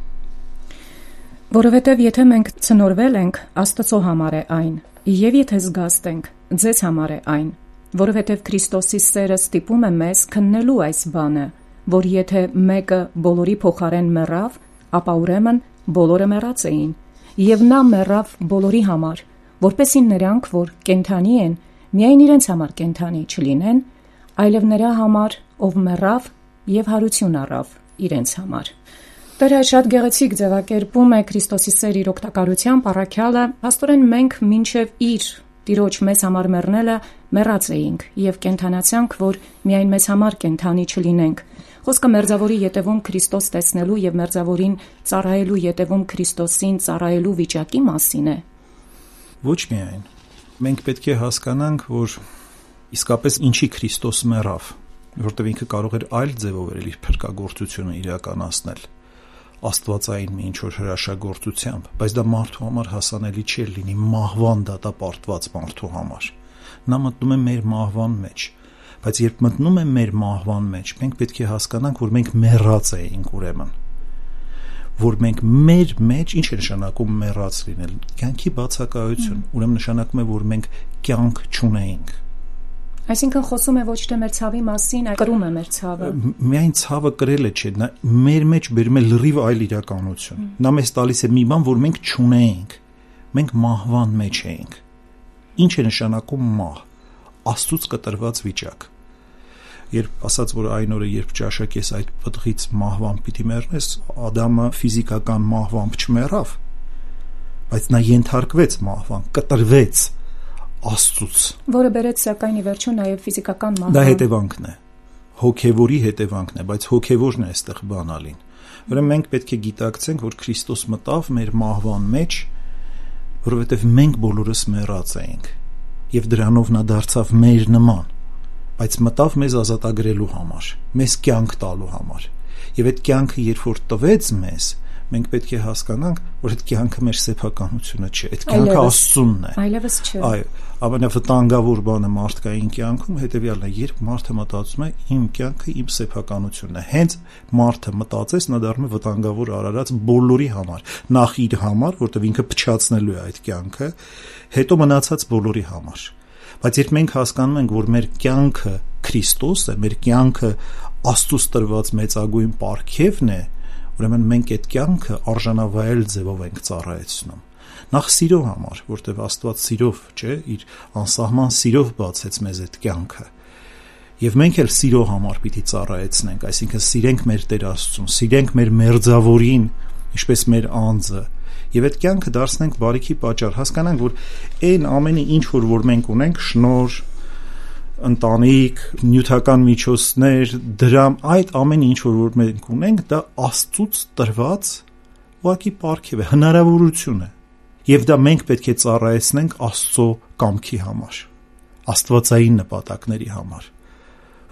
Որովհետև եթե մենք ցնորվել ենք, Աստծո համար է այն, եւ եթե զգաստ ենք, ձեզ համար է այն, որովհետև Քրիստոսի սերը ստիպում է մեզ քննելու այս բանը, որ եթե մեկը բոլորի փոխարեն մեռավ, ապա ուրեմն բոլորը մեռած էին, եւ նա մեռավ բոլորի համար, որպեսզի նրանք, որ կենթանի են, միայն իրենց համար կենթանի չլինեն, այլև նրա համար, ով մեռավ եւ հարություն առավ իրենց համար։ Տերը շատ գեղեցիկ ձևակերպում է Քրիստոսի սեր իր օգտակարությամբ առաքյալը, աստորեն մենք մինչև իր Տիրոջ մեզ համար մեռնելը մեռած էինք եւ կենթանացանք, որ միայն մեզ համար կենթանի չլինենք։ Խոսքը մերձավորի ետևում Քրիստոս տեսնելու եւ մերձավորին ծառայելու ետևում Քրիստոսին ծառայելու վիճակի մասին է։ Ոչ միայն։ Մենք պետք է հասկանանք, որ իսկապես ինչի Քրիստոս մեռավ, որտեղ ինքը կարող էր այլ ձևով իր փրկagorցությունը իրականացնել, աստվածային մի ինչ-որ հրաշագործությամբ, բայց դա մարդու համար հասանելի չէր լինի, մահվան դատապարտված մարդու համար։ Նա մտնում է մեր մահվան մեջ, բայց երբ մտնում է մեր մահվան մեջ, մենք պետք է հասկանանք, որ մենք մեռած էինք ուրեմն, որ մենք մեր մեջ, ինչ է նշանակում մեռած լինել, կյանքի բացակայություն, ուրեմն նշանակում է, որ մենք կյանք չունեինք։ Այսինքն խոսում է ոչ թե մեր ցավի մասին, այլ կրում է մեր ցավը։ Միայն ցավը կրելը չէ, նա մեր մեջ բերում է լրիվ այլ իրականություն։ Նա մեզ տալիս է մի բան, որ մենք չունեինք։ Մենք մահվան մեջ էինք։ Ինչ է նշանակում մահ։ Աստծուց կտրված վիճակ։ Երբ ասաց, որ այն օրը, երբ ճաշակես այդ պտղից մահվան պիտի մեռնես, Ադամը ֆիզիկական մահվամբ չմեռավ, բայց նա ենթարկվեց մահվան, կտրվեց Աստծուց, որը բերեց սակայն ի վերջո նաև ֆիզիկական մահվան։ Դա հետևանքն է, հոգևորի հետևանքն է, բայց հոգևորն է այստեղ բանալին։ Ուրեմն մենք պետք է գիտակցենք, որ Քրիստոս մտավ մեր մահվան մեջ, որովհետև մենք բոլորս մեռած էինք, եւ դրանով նա դարձավ մեր նման, բայց մտավ մեզ ազատագրելու համար, մեզ կյանք տալու համար։ Եվ այդ կյանքը երբ որ տվեց մեզ, մենք պետք է հասկանանք, որ այդ կյանքը մեր սեփականությունը չէ, այդ կյանքը Աստծունն է։ Այլևս չէ։ Այո, ամենավտանգավոր բանը մարդկային կյանքում հետեւյալն է, երբ մարդը մտածում է իմ կյանքը իմ սեփականությունն է։ Հենց մարդը մտածես, նա դառնում է վտանգավոր արարած բոլորի համար, նախ իր համար, որտեղ ինքը փչացնելու է այդ կյանքը, հետո մնացած բոլորի համար։ Բայց երբ մենք հասկանում ենք, որ մեր կյանքը Քրիստոս է, մեր կյանքը Աստծուց տրված մեծագույն պարգևն է, ուրեմն մենք այդ կյանքը արժանավայել ձևով ենք ծառայեցնում։ Նախ սիրո համար, որտեղ Աստված սիրով, չէ, իր անսահման սիրով բացեց մեզ այդ կյանքը։ Եվ մենք էլ սիրո համար պիտի ծառայեցնենք, այսինքն սիրենք մեր Տեր Աստծուն, սիրենք մեր մերձավորին, ինչպես մեր անձը, եւ այդ կյանքը դարձնենք բարիքի պատճառ, հասկանանք, որ այն ամենը ինչ որ որ մենք ունենք, շնոր, ընտանիք, նյութական միջոցներ, դրամ, այդ ամենը ինչ որ որ մենք ունենք, դա Աստծուց տրված ուղղակի պարգև է, հնարավորություն է։ Եվ դա մենք պետք է ծառայեցնենք Աստծո կամքի համար, աստվածային նպատակների համար,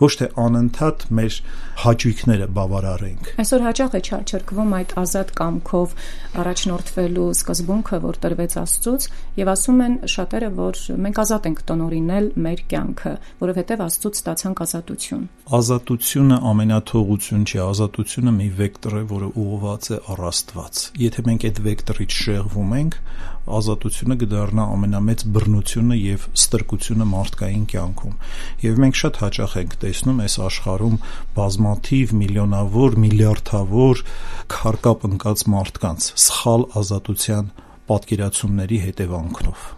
ոչ թե անընդհատ մեր հաճույքները բավարարենք։ Այսօր հաճախ է չարչարքվում այդ ազատ կամքով առաջնորդվելու սկզբունքը, որ տրվեց Աստծուց, եւ ասում են շատերը, որ մենք ազատ ենք տնօրինել մեր կյանքը, որովհետեւ Աստծուց ստացանք ազատություն։ Ազատությունը ամենաթողություն չի, ազատությունը մի վեկտոր է, որը ուղղված է առ Աստված։ Եթե մենք այդ վեկտորից շեղվում ենք, ազատությունը կդառնա ամենամեծ բռնությունը եւ ստրկությունը մարդկային կյանքում։ Եվ մենք շատ հաճախ ենք տեսնում այս աշխարհում բազմաթիվ միլիոնավոր, միլիարդավոր քարկապ ընկած մարդկանց սխալ ազատության պատկերացումների հետևանքով։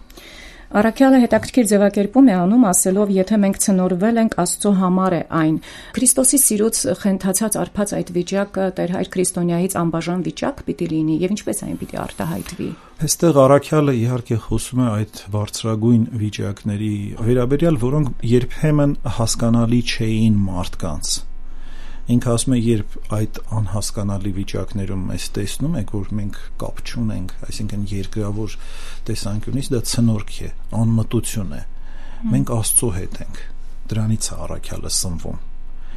Առաքյալը հետաքրքիր ձևակերպում է անում, ասելով, եթե մենք ցնորվել ենք, Աստծո համար է այն։ Քրիստոսի սիրուց խենթացած արփած այդ վիճակը Տեր Հայր Քրիստոնյայից անբաժան վիճակ պիտի լինի, եւ ինչպես այն պիտի արտահայտվի։ Այստեղ առաքյալը իհարկե խոսում է այդ բարձրագույն վիճակների վերաբերյալ, որոնք երբեմն հասկանալի չէին մարդկանց։ Ինքը ասում է, երբ այդ անհասկանալի վիճակներում մեզ տեսնում եք, որ մենք կապ չունենք, այսինքն երկրավոր տեսանկյունից դա ցնորք է, անմտություն է։ Մենք Աստծո հետ ենք։ Դրանից է առաքյալը սնվում։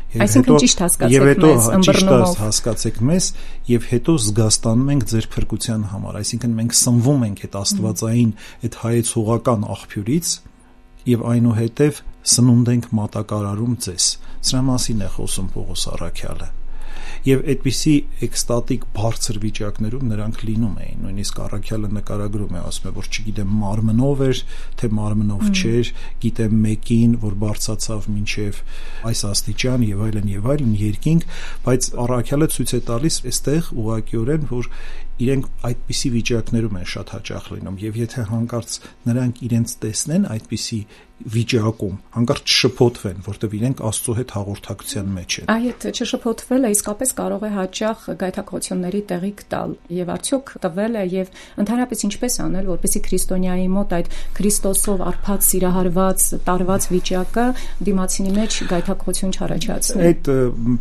Այսինքն ճիշտ հասկացեք մեզ, ըմբռնումով։ Ճիշտ հասկացեք մեզ, եւ հետո զգաստանում ենք ձեր փրկության համար, այսինքն մենք սնվում ենք այդ աստվածային, այդ հայեցողական աղբյուրից եւ այնուհետեւ սնունդ ենք մատակարարում ձեզ։ Սրա մասին է խոսում Պողոս առաքյալը։ Եվ այդպիսի էքստատիկ բարձր վիճակներում նրանք լինում էին, նույնիսկ առաքյալը նկարագրում է, ասում է, որ չգիտեմ մարմնով էր, թե մարմնով չէր, գիտեմ մեկին, որ բարձացավ մինչև այս աստիճան եւ այլն եւ այլն երկինք, բայց առաքյալը ցույց է տալիս այստեղ ուղղակիորեն, որ իրենք այդպիսի վիճակներում են շատ հաճախ լինում եւ եթե հանկարծ նրանք իրենց տեսնեն այդպիսի վիճակում, հանկարծ շփոթվեն, որտեղ իրենք Աստծո հետ հաղորդակցության մեջ են։ Այդ չշփոթվելը իսկապես կարող է հաճախ գայթակղությունների տեղիք տալ եւ արդյոք տվել է եւ ընդհանրապես ինչպես անել, որպեսզի քրիստոնյայի մոտ այդ Քրիստոսով արփած, սիրահարված, տարված վիճակը դիմացինի մեջ գայթակղություն չառաջացնի։ Այդ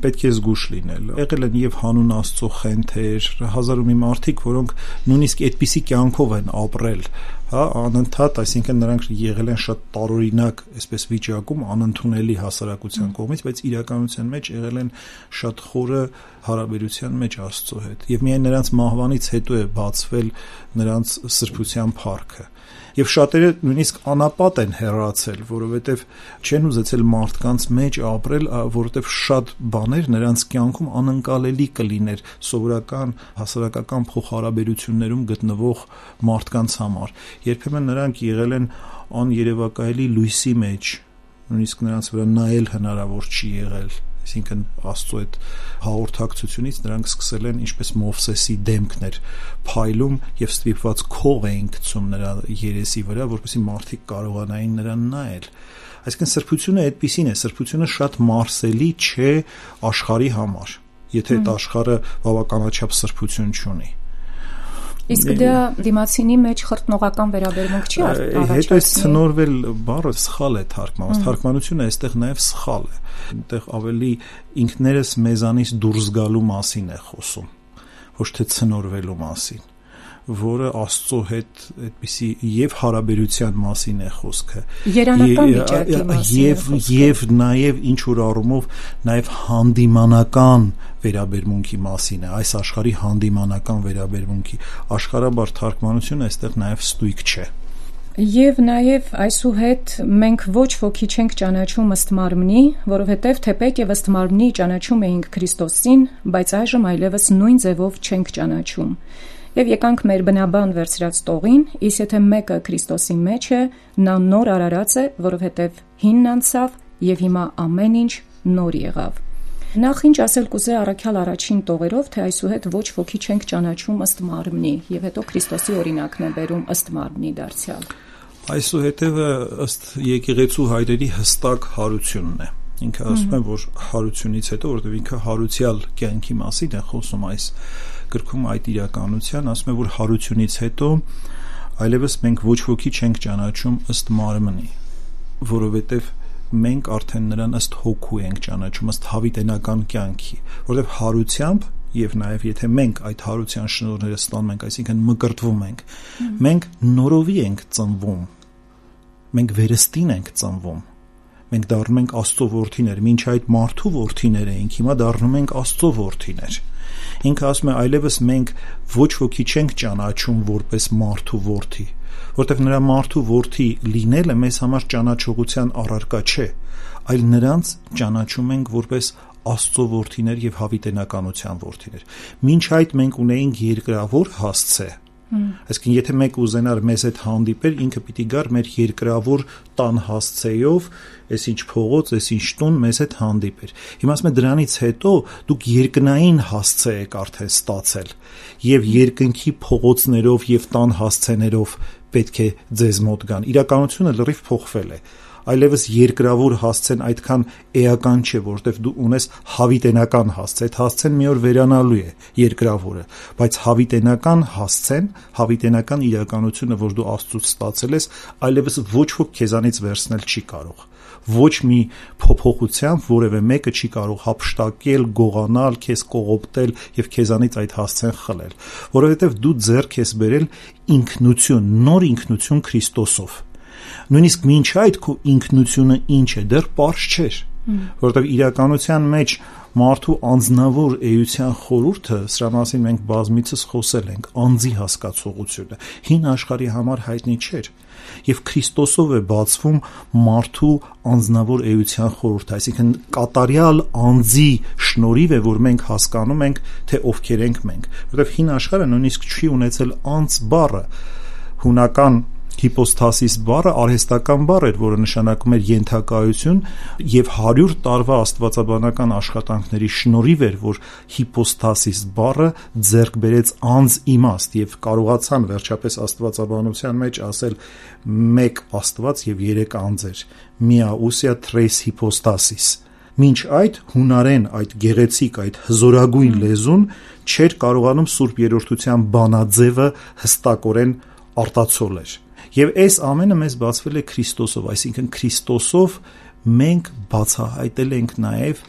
պետք է զգուշ լինել։ Եղել են եւ հանուն Աստծո խենթեր, հազար ու մի մարդիկ, որոնք նույնիսկ այդպիսի կյանքով են ապրել, հա, անընդհատ, այսինքն նրանք եղել են շատ տարօրինակ, այսպես վիճակում անընդունելի հասարակության կողմից, բայց իրականության մեջ եղել են շատ խորը հարաբերության մեջ Աստծո հետ։ Եվ միայն նրանց մահվանից հետո է բացվել նրանց սրբության փառքը։ Եվ շատերը նույնիսկ անապատ են հեռացել, որովհետև չեն ուզեցել մարդկանց մեջ ապրել, որովհետև շատ բաներ նրանց կյանքում անընկալելի կլիներ սովորական հասարակական փոխհարաբերություններում գտնվող մարդկանց համար։ Երբեմն նրանք եղել են աներևակայելի լույսի մեջ, նույնիսկ նրանց վրա նայել հնարավոր չի եղել։ Այսինքն Աստծո այդ հաղորդակցությունից նրանք սկսել են ինչպես Մովսեսի դեմքներ փայլում եւ ստիպված քող էին գցում նրա երեսի վրա, որպեսզի մարդիկ կարողանային նրան նայել։ Այսինքն սրբությունը այդպիսին է, սրբությունը շատ մարսելի չէ աշխարհի համար, եթե այդ աշխարհը բավականաչափ սրբություն չունի։ Իսկ դա դիմացինի մեջ խրտնողական վերաբերմունք չի առաջացնում։ Հետո այս ցնորվել բառը սխալ է թարգմանված, թարգմանությունը այստեղ նաև սխալ է։ Այնտեղ ավելի ինքներս մեզանից դուրս գալու մասին է խոսում, ոչ թե ցնորվելու մասին, որը Աստծո հետ այդպիսի եւ հարաբերության մասին է խոսքը։ Երանական վիճակի մասին եւ եւ նաեւ ինչ որ առումով նաեւ հանդիմանական վերաբերմունքի մասին է, այս աշխարհի հանդիմանական վերաբերմունքի աշխարհաբար թարգմանությունը այստեղ նաեւ ստույգ չէ։ Եվ նաև այսուհետ մենք ոչ ոքի չենք ճանաչում ըստ մարմնի, որովհետև թեպետ եւ ըստ մարմնի ճանաչում էինք Քրիստոսին, բայց այժմ այլևս նույն ձևով չենք ճանաչում։ Եվ եկանք մեր բնաբան վերցրած տողին, իսկ եթե մեկը Քրիստոսի մեջ է, նա նոր արարած է, որովհետև հինն անցավ եւ հիմա ամեն ինչ նոր եղավ։ Նախ ինչ ասել կուզե առաքյալ առաջին տողերով, թե այսուհետ ոչ ոքի չենք ճանաչում ըստ մարմնի, եւ հետո Քրիստոսի օրինակն է բերում ըստ մարմնի դարձյալ։ Այսուհետևը ըստ եկեղեցու հայրերի հստակ հարությունն է։ Ինքը ասում է, որ հարությունից հետո, որովհետև ինքը հարուցյալ կյանքի մասին է խոսում այս գրքում այդ իրականության, ասում է, որ հարությունից հետո այլևս մենք ոչ ոքի չենք ճանաչում ըստ մարմնի, որովհետև մենք արդեն նրան ըստ հոգու ենք ճանաչում, ըստ հավիտենական կյանքի, որովհետև հարությամբ եւ նաեւ եթե մենք այդ հարության շնորհները ստանում ենք, այսինքն մկրտվում ենք, մենք նորովի ենք ծնվում, մենք վերստին ենք ծնվում, Մենք դառնում ենք Աստծո որդիներ, մինչ այդ մարդու որդիներ էինք, հիմա դառնում ենք Աստծո որդիներ։ Ինքը ասում է, այլևս մենք ոչ ոքի չենք ճանաչում որպես մարդու որդի, որտեղ նրա մարդու որդի լինելը մեզ համար ճանաչողության առարկա չէ, այլ նրանց ճանաչում ենք որպես Աստծո որդիներ եւ հավիտենականության որդիներ։ Մինչ այդ մենք ունեինք երկրավոր հասցե։ Այսինքն, եթե մեկ ուզենար մեզ հետ հանդիպել, ինքը պիտի գար մեր երկրավոր տան հասցեով, այսինչ փողոց, այսինչ տուն մեզ հետ հանդիպեր։ Հիմա ասում եմ, դրանից հետո դուք երկնային հասցե եք արդեն ստացել եւ երկնքի փողոցներով եւ տան հասցեներով պետք է ձեզ մոտ գան։ Իրականությունը լրիվ փոխվել է։ Այլևս երկրավոր հասցեն այդքան էական չէ, որովհետև դու ունես հավիտենական հասցե, այդ հասցեն մի օր վերանալու է երկրավորը, բայց հավիտենական հասցեն, հավիտենական իրականությունը, որ դու Աստծուց ստացել ես, այլևս ոչ ոք քեզանից վերցնել չի կարող։ Ոչ մի փոփոխությամբ որևէ մեկը չի կարող հափշտակել, գողանալ, քեզ կողոպտել եւ քեզանից այդ հասցեն խլել, որովհետև դու ձեռք ես բերել ինքնություն, նոր ինքնություն Քրիստոսով։ Նույնիսկ մինչ այդ քո ինքնությունը ինչ է, դեռ պարզ չէր, որովհետև իրականության մեջ մարդու անձնավոր էության խորհուրդը, սրա մասին մենք բազմիցս խոսել ենք, անձի հասկացողությունը, հին աշխարհի համար հայտնի չէր, եւ Քրիստոսով է բացվում մարդու անձնավոր էության խորհուրդը, այսինքն կատարյալ անձի շնորհիվ է, որ մենք հասկանում ենք, թե ովքեր ենք մենք, որովհետև հին աշխարհը նույնիսկ չի ունեցել անձ բառը, հունական հիպոստասիս բառը արհեստական բառ էր, որը նշանակում էր ենթակայություն եւ հարյուր տարվա աստվածաբանական աշխատանքների շնորհիվ էր, որ հիպոստասիս բառը ձեռք բերեց անձ իմաստ եւ կարողացան վերջապես աստվածաբանության մեջ ասել մեկ Աստված եւ երեք անձեր, միաուսիա tres hypostasis։ Մինչ այդ հունարեն այդ գեղեցիկ, այդ հզորագույն լեզուն չէր կարողանում Սուրբ Երրորդության բանաձևը հստակորեն արտացոլել։ Եվ այս ամենը մեզ բացվել է Քրիստոսով, այսինքն Քրիստոսով մենք բացահայտել ենք նաև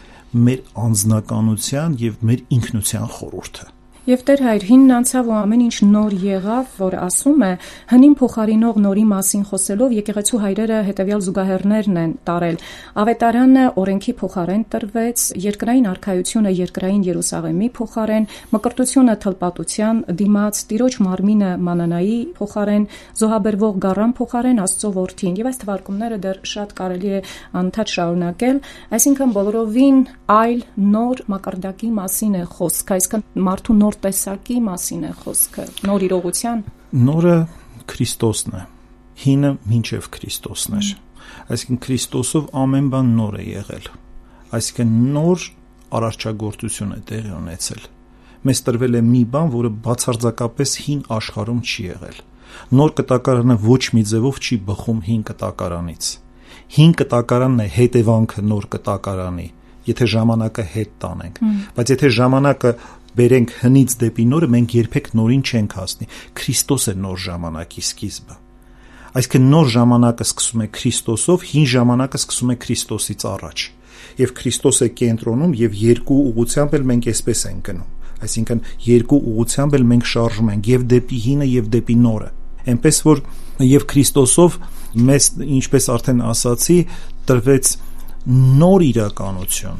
մեր անձնականության եւ մեր ինքնության խորհուրդը։ Եվ Տեր Հայր, հինն անցավ ու ամեն ինչ նոր եղավ, որ ասում է, հնին փոխարինող նորի մասին խոսելով եկեղեցու հայրերը հետևյալ զուգահեռներն են տարել։ Ավետարանը օրենքի փոխարեն տրվեց, երկրային արքայությունը երկրային Երուսաղեմի փոխարեն, մկրտությունը թլպատության դիմաց, տիրոջ մարմինը մանանայի փոխարեն, զոհաբերվող գառան փոխարեն Աստծո որդին։ Եվ այս թվարկումները դեռ շատ կարելի է անընդհատ շարունակել, այսինքն բոլորովին այլ նոր մակարդակի մասին է խոսքը, այսինքն մարդու նոր տեսակի մասին է խոսքը, նոր իրողության։ Նորը Քրիստոսն է, հինը մինչև Քրիստոսն էր, այսինքն Քրիստոսով ամեն բան նոր է եղել, այսինքն նոր արարչագործություն է տեղի ունեցել։ Մեզ տրվել է մի բան, որը բացարձակապես հին աշխարհում չի եղել։ Նոր կտակարանը ոչ մի ձևով չի բխում հին կտակարանից։ Հին կտակարանն է հետևանքը նոր կտակարանի, եթե ժամանակը հետ տանենք, բայց եթե ժամանակը բերենք հնից դեպի նորը, մենք երբեք նորին չենք հասնի։ Քրիստոս է նոր ժամանակի սկիզբը։ Այսինքն նոր ժամանակը սկսում է Քրիստոսով, հին ժամանակը սկսում է Քրիստոսից առաջ։ Եվ Քրիստոս է կենտրոնում եւ երկու ուղղությամբ էլ մենք այսպես ենք գնում։ Այսինքն երկու ուղղությամբ էլ մենք շարժում ենք եւ դեպի հինը եւ դեպի նորը։ Այնպես որ եւ Քրիստոսով մեզ, ինչպես արդեն ասացի, տրվեց նոր իրականություն,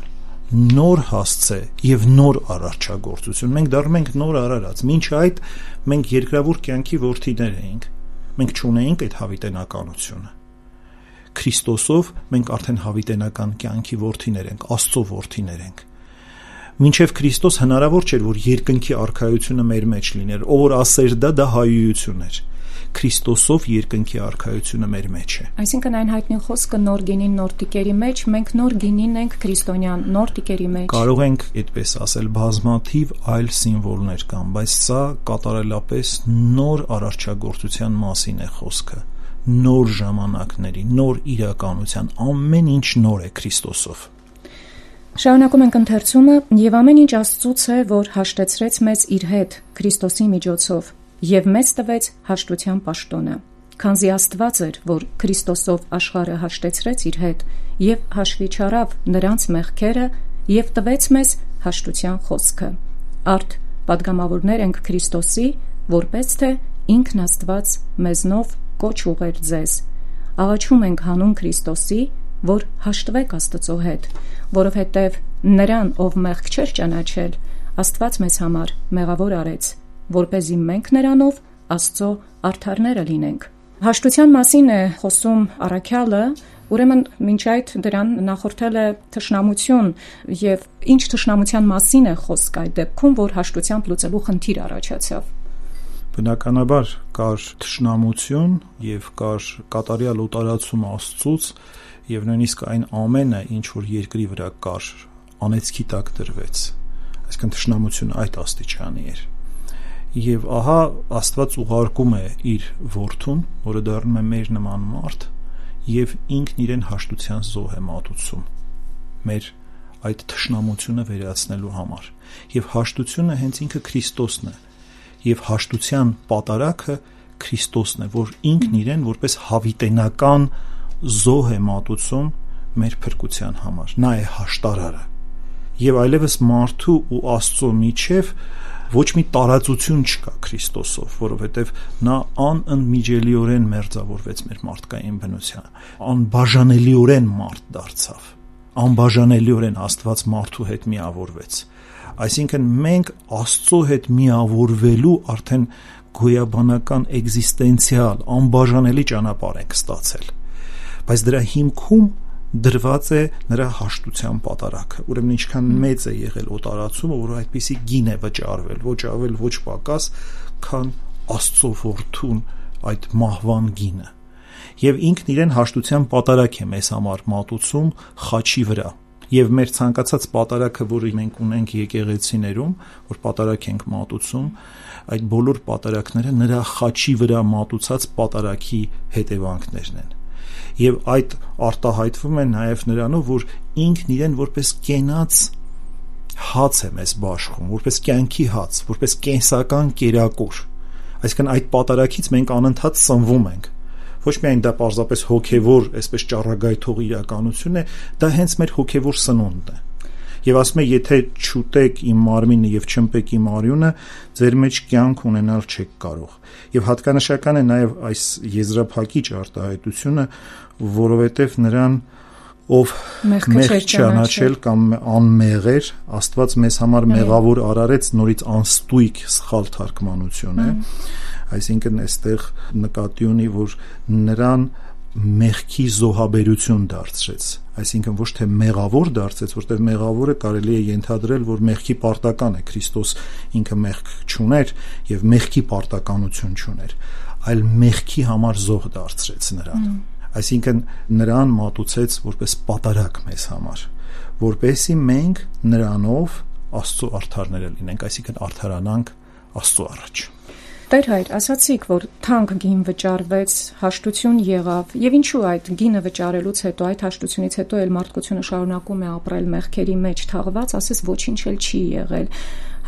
նոր հասցե եւ նոր արարչագործություն։ Մենք դառնում ենք նոր արարած։ Մինչ այդ մենք երկրավոր կյանքի որդիներ էինք։ Մենք չունեինք այդ հավիտենականությունը։ Քրիստոսով մենք արդեն հավիտենական կյանքի որդիներ ենք, Աստծո որդիներ ենք։ Մինչև Քրիստոս հնարավոր չէր, որ երկնքի արքայությունը մեր մեջ լիներ, ով որ ասեր դա, դա հայույություն էր։ Քրիստոսով երկնքի արքայությունը մեր մեջ է։ Այսինքն այն հայտնի խոսքը նոր գինին նոր տիկերի մեջ, մենք նոր գինին ենք քրիստոնյան նոր տիկերի մեջ։ Կարող ենք այդպես ասել, բազմաթիվ այլ սիմվոլներ կան, բայց սա կատարելապես նոր արարչագործության մասին է խոսքը, նոր ժամանակների, նոր իրականության, ամեն ինչ նոր է Քրիստոսով։ Շարունակում ենք ընթերցումը, եւ ամեն ինչ Աստծուց է, որ հաշտեցրեց մեզ իր հետ Քրիստոսի միջոցով եւ մեզ տվեց հաշտության պաշտոնը, քանզի Աստված էր, որ Քրիստոսով աշխարհը հաշտեցրեց իր հետ եւ հաշվի չառավ նրանց մեղքերը եւ տվեց մեզ հաշտության խոսքը։ Արդ պատգամավորներ ենք Քրիստոսի, որպես թե ինքն Աստված մեզնով կոչ ուղեր ձեզ։ Աղաչում ենք հանուն Քրիստոսի, որ հաշտվեք Աստծո հետ, որովհետև նրան, ով մեղք չէր ճանաչել, Աստված մեզ համար մեղավոր արեց, որպեսզի մենք նրանով Աստծո արդարները լինենք։ Հաշտության մասին է խոսում առաքյալը, ուրեմն մինչ այդ դրան նախորդել է թշնամություն, եւ ինչ թշնամության մասին է խոսք այդ դեպքում, որ հաշտությամբ լուծելու խնդիր առաջացավ։ Բնականաբար կար թշնամություն եւ կար կատարյալ օտարացում Աստծուց եւ նույնիսկ այն ամենը, ինչ որ երկրի վրա կար, անեծքի տակ դրվեց։ Այսինքն թշնամությունը այդ աստիճանի էր։ Եվ ահա Աստված ուղարկում է իր որդուն, որը դառնում է մեր նման մարդ, եւ ինքն իրեն հաշտության զոհ է մատուցում մեր այդ թշնամությունը վերացնելու համար։ Եվ հաշտությունը հենց ինքը Քրիստոսն է, եւ հաշտության պատարագը Քրիստոսն է, որ ինքն իրեն որպես հավիտենական զոհ է մատուցում մեր փրկության համար։ Նա է հաշտարարը։ Եվ այլևս մարդու ու Աստծո միջև ոչ մի տարածություն չկա Քրիստոսով, որովհետև նա անընդմիջելիորեն մերձավորվեց մեր մարդկային բնությանը, անբաժանելիորեն մարդ դարձավ, անբաժանելիորեն Աստված մարդու հետ միավորվեց։ Այսինքն մենք Աստծո հետ միավորվելու արդեն գոյաբանական էգզիստենցիալ անբաժանելի ճանապարհ ենք ստացել, բայց դրա հիմքում դրված է նրա հաշտության պատարագը։ Ուրեմն ինչքան մեծ է եղել օտարացումը, որ այդպիսի գին է վճարվել, ոչ ավել, ոչ պակաս, քան Աստծո որդուն այդ մահվան գինը։ Եվ ինքն իրեն հաշտության պատարագ է մեզ համար մատուցում խաչի վրա։ Եվ մեր ցանկացած պատարագը, որը մենք ունենք եկեղեցիներում, որ պատարագ ենք մատուցում, այդ բոլոր պատարագները նրա խաչի վրա մատուցած պատարագի հետևանքներն են։ Եվ այդ արտահայտվում է նաև նրանով, որ ինքն իրեն որպես կենաց հաց է մեզ բաշխում, որպես կյանքի հաց, որպես կենսական կերակուր։ Այսինքն այդ պատարագից մենք անընդհատ սնվում ենք։ Ոչ միայն դա պարզապես հոգևոր, այսպես ճառագայթող իրականություն է, դա հենց մեր հոգևոր սնունդն է։ Եվ ասում է, եթե չուտեք իմ մարմինը եւ չըմպեք իմ արյունը, ձեր մեջ կյանք ունենալ չեք կարող։ Եւ հատկանշական է նաեւ այս եզրափակիչ արտահայտությունը, որովհետեւ նրան, ով մեղք չճանաչել կամ անմեղ էր, Աստված մեզ համար մեղավոր արարեց, նորից անստույգ սխալ թարգմանություն է։ Այսինքն այստեղ նկատի ունի, որ նրան մեղքի զոհաբերություն դարձրեց, այսինքն ոչ թե մեղավոր դարձեց, որտեղ մեղավորը կարելի է ենթադրել, որ մեղքի պարտական է, Քրիստոս ինքը մեղք չուներ եւ մեղքի պարտականություն չուներ, այլ մեղքի համար զոհ դարձրեց նրան, այսինքն նրան մատուցեց որպես պատարագ մեզ համար, որպեսզի մենք նրանով Աստծո արդարները լինենք, այսինքն արդարանանք Աստծո առաջ։ Տեր հայր, ասացիք, որ թանկ գին վճարվեց, հաշտություն եղավ, եւ ինչու այդ գինը վճարելուց հետո, այդ հաշտությունից հետո էլ մարդկությունը շարունակում է ապրել մեղքերի մեջ թաղված, ասես ոչինչ էլ չի եղել։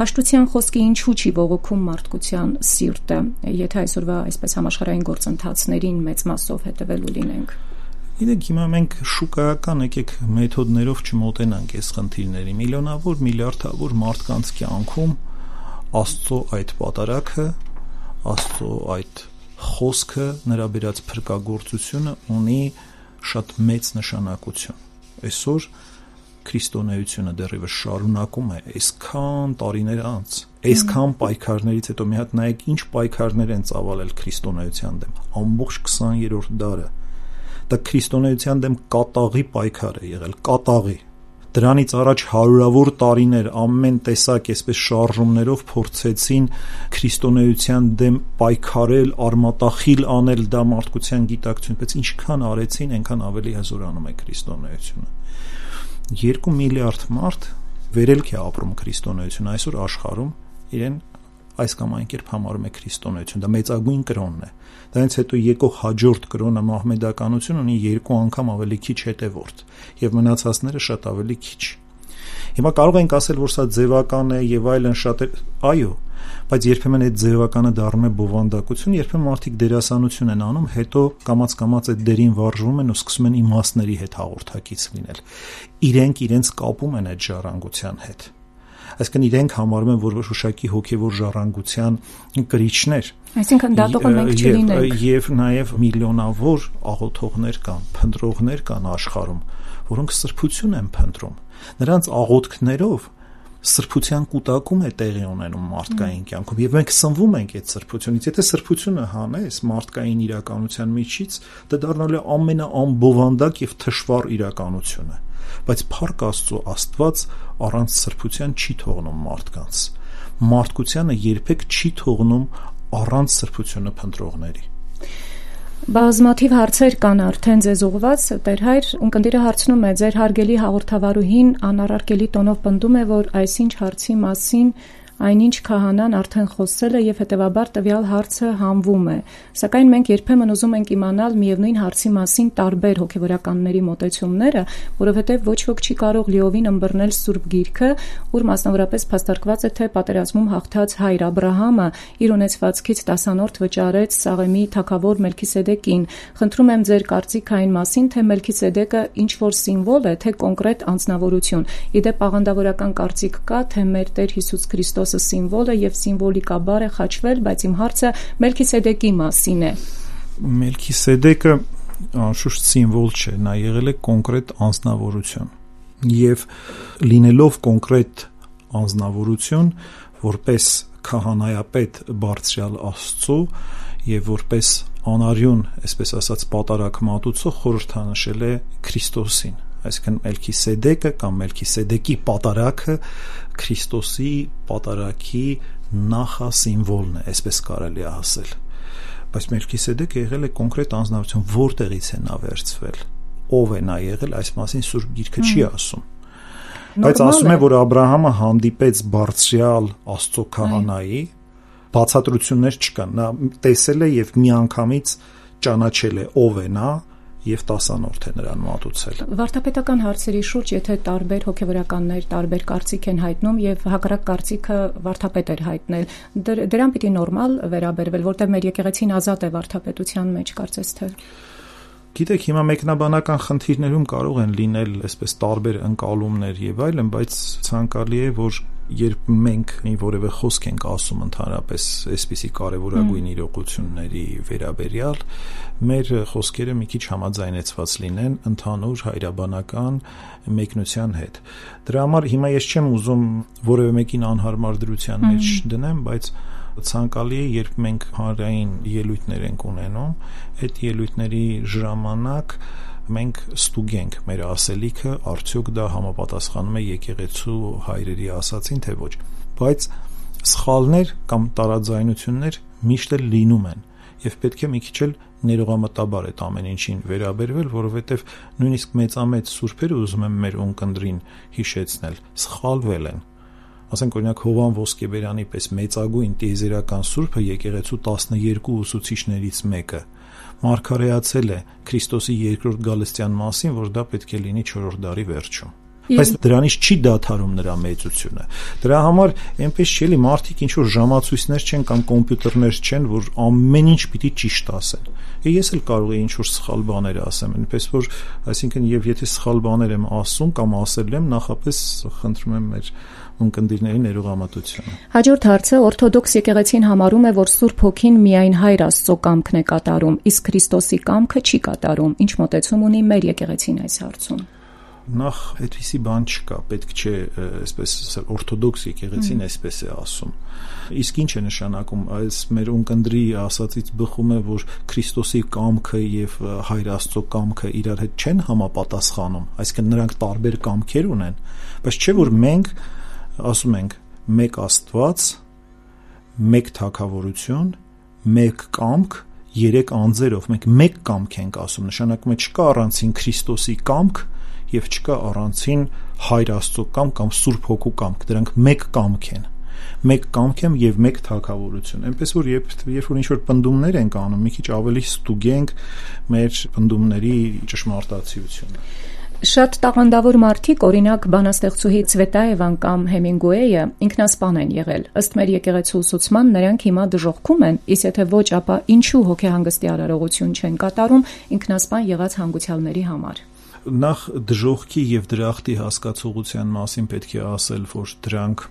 Հաշտության խոսքը ինչու չի բողոքում մարդկության սիրտը, եթե այսօրվա այսպես համաշխարհային գործընթացներին մեծ մասով հետևելու լինենք։ Գիտեք, հիմա մենք շուկայական եկեք մեթոդներով չմոտենանք այս խնդիրների։ Միլիոնավոր, միլիարդավոր մարդկանց կյանքում Աստծո այդ պատարագը, Աստծո այդ խոսքը, նրա բերած փրկagorցությունը ունի շատ մեծ նշանակություն։ Այսօր քրիստոնեությունը դեռևս շարունակում է այսքան տարիներ անց, այսքան պայքարներից հետո մի հատ նայեք ինչ պայքարներ են ծավալել քրիստոնեության դեմ, ամբողջ քսաներորդ դարը։ Դա քրիստոնեության դեմ կատաղի պայքար է եղել, կատաղի։ Դրանից առաջ հարյուրավոր տարիներ ամեն տեսակ այսպես շարժումներով փորձեցին քրիստոնեության դեմ պայքարել, արմատախիլ անել, դա մարդկության գիտակցություն, բայց ինչքան արեցին, այնքան ավելի հզորանում է քրիստոնեությունը։ Երկու միլիարդ մարդ վերելք է ապրում քրիստոնեությունը այսօր աշխարհում, իրեն այս կամ այն կերպ համարում է քրիստոնեություն, դա մեծագույն կրոնն է։ Դրանից հետո եկող հաջորդ կրոնը մահմեդականություն ունի երկու անգամ ավելի քիչ հետևորդ, եւ մնացածները շատ ավելի քիչ։ Հիմա կարող ենք ասել, որ սա ձևական է եւ այլն շատ է, այո, բայց երբեմն այդ ձևականը դառնում է բովանդակություն, երբեմն մարդիկ դերասանություն են անում, հետո կամաց-կամաց այդ դերին վարժվում են ու սկսում են իմաստների հետ հաղորդակից լինել։ Իրենք իրենց կապում են այդ ժառանգության հետ։ Այսինքն իրենք համարում են որոշ ուշակի հոգևոր ժառանգության կրիչներ։ Այսինքն դատողը մենք չլինենք։ Եվ նաև միլիոնավոր աղոթողներ կան, փնտրողներ կան աշխարհում, որոնք սրբություն են փնտրում։ Նրանց աղոթքներով սրբության կուտակում է տեղի ունենում մարդկային կյանքում, եւ մենք սնվում ենք այդ սրբությունից։ Եթե սրբությունը հանես մարդկային իրականության միջից, դա դառնալու է ամենաամբովանդակ եւ թշվառ իրականությունը։ Բայց փառք Աստծո, Աստված առանց սրբության չի թողնում մարդկանց։ Մարդկությանը երբեք չի թողնում առանց սրբությունը փնտրողների։ Բազմաթիվ հարցեր կան արդեն ձեզ ուղված, Տեր Հայր, ունկնդիրը հարցնում է, ձեր հարգելի հաղորդավարուհին անառարկելի տոնով պնդում է, որ այսինչ հարցի մասին այնինչ քահանան արդեն խոսել է եւ հետեւաբար տվյալ հարցը հանվում է։ Սակայն մենք երբեմն ուզում ենք իմանալ միևնույն հարցի մասին տարբեր հոգեվորականների մոտեցումները, որովհետեւ ոչ ոք չի կարող լիովին ըմբռնել Սուրբ Գիրքը, ուր մասնավորապես փաստարկված է, թե պատերազմում հաղթած հայր Աբրահամը իր ունեցվածքից տասանորդ վճարեց Սաղեմի թագավոր Մելքիսեդեկին։ Խնդրում եմ ձեր կարծիքը այն մասին, թե Մելքիսեդեկը ինչ որ սիմվոլ է, թե կոնկրետ անձնավորություն։ Իդեպ աղանդավորական կարծիք կա, թե մեր Տեր Հիսուս Քրիստոս սիմվոլ է եւ սիմվոլիկաբար է խաչվել, բայց իմ հարցը Մելքիսեդեկի մասին է։ Մելքիսեդեկը անշուշտ սիմվոլ չէ, նա եղել է կոնկրետ անձնավորություն եւ լինելով կոնկրետ անձնավորություն, որպես քահանայապետ բարձրյալ Աստծո եւ որպես անարյուն, այսպես ասած, պատարակ մատուցող խորհրդանշել է Քրիստոսին։ Այսինքն Մելքիսեդեկը կամ Մելքիսեդեկի պատարակը Քրիստոսի պատարակի նախասիմվոլն է, այսպես կարելի է ասել։ Բայց Մելքիսեդեկը եղել է կոնկրետ անձնավորություն, որտեղից է նա վերցվել, ով է նա եղել, այս մասին Սուրբ Գիրքը չի ասում։ Բայց ասում է, որ Աբրահամը հանդիպեց բարձրյալ Աստծո քահանայի, բացատրություններ չկան, նա տեսել է եւ միանգամից ճանաչել է ով է նա եւ տասանորդ է նրան մատուցել։ Վարդապետական հարցերի շուրջ, եթե տարբեր հոգեվորականներ տարբեր կարծիք են հայտնում եւ հակառակ կարծիքը վարդապետ էր հայտնել, դրան պիտի նորմալ վերաբերվել, որտեղ մեր եկեղեցին ազատ է վարդապետության մեջ, կարծես թե։ Գիտեք, հիմա մեկնաբանական խնդիրներում կարող են լինել այսպես տարբեր ընկալումներ եւ այլն, բայց ցանկալի է, որ երբ մենք մի որևէ խոսք ենք ասում ընդհանրապես այսպիսի կարևորագույն իրողությունների վերաբերյալ, մեր խոսքերը մի քիչ համաձայնեցված լինեն ընդհանուր հայրաբանական մեկնության հետ։ Դրա համար հիմա ես չեմ ուզում որևէ մեկին անհարմար դրության մեջ դնեմ, բայց ցանկալի է, երբ մենք հանրային ելույթներ ենք ունենում, այդ ելույթների ժամանակ մենք ստուգենք մեր ասելիքը, արդյոք դա համապատասխանում է եկեղեցու հայրերի ասածին, թե ոչ։ Բայց սխալներ կամ տարաձայնություններ միշտ էլ լինում են եւ պետք է մի քիչ էլ ներողամտաբար այդ ամեն ինչին վերաբերվել, որովհետեւ նույնիսկ մեծամեծ սուրբերը ուզում եմ մեր ունկնդրին հիշեցնել, սխալվել են։ Ասենք օրինակ Հովան Ոսկեբերյանի պես մեծագույն տիեզերական սուրբը եկեղեցու տասներկու ուսուցիչներից մեկը մարգարեացել է Քրիստոսի երկրորդ գալստյան մասին, որ դա պետք է լինի չորրորդ դարի վերջում։ Բայց դրանից չի դադարում նրա մեծությունը։ Դրա համար այնպես չի էլի մարդիկ ինչ որ ժամացույցներ չեն կամ կոմպյուտերներ չեն, որ ամեն ինչ պիտի ճիշտ ասեն։ Ես էլ կարող եմ ինչ որ սխալ բաներ ասեմ, այնպես որ, այսինքն եւ եթե սխալ բաներ եմ ասում կամ ասել եմ, նախապես խնդրում եմ մեր ունկնդիրների ներողամտությունը։ Հաջորդ հարցը օրթոդոքս եկեղեցին համարում է, որ Սուրբ Հոգին միայն Հայր Աստծո կամքն է կատարում, իսկ Քրիստոսի կամքը չի կատարում։ Ինչ մոտեցում ունի մեր եկեղեցին այս հարցում։ Նախ այդպիսի բան չկա, պետք չէ, այսպես օրթոդոքս եկեղեցին այսպես է ասում։ Իսկ ինչ է նշանակում, այս մեր ունկնդրի ասածից բխում է, որ Քրիստոսի կամքը եւ Հայր Աստծո կամքը իրար հետ չեն համապատասխանում, այսինքն նրանք տարբեր կամքեր ունեն, բայց չէ որ մենք ասում ենք մեկ Աստված, մեկ թագավորություն, մեկ կամք, երեք անձերով, մենք մեկ կամք ենք ասում, նշանակում է չկա առանցին Քրիստոսի կամք եւ չկա առանցին Հայր Աստծո կամք կամ Սուրբ Հոգու կամք, դրանք մեկ կամք են, մեկ կամք են եւ մեկ թագավորություն։ Այնպես որ երբ երբ որ ինչ-որ պնդումներ ենք անում, մի քիչ ավելի ստուգենք մեր պնդումների ճշմարտացիությունը։ Շատ տաղանդավոր մարդիկ, օրինակ բանաստեղծուհի Ցվետաևան կամ Հեմինգուեյը ինքնասպան են եղել։ Ըստ մեր եկեղեցու ուսուցման նրանք հիմա դժոխքում են, իսկ եթե ոչ, ապա ինչու հոգեհանգստի արարողություն չեն կատարում ինքնասպան եղած հանգուցյալների համար։ Նախ դժոխքի եւ դրախտի հասկացողության մասին պետք է ասել, որ դրանք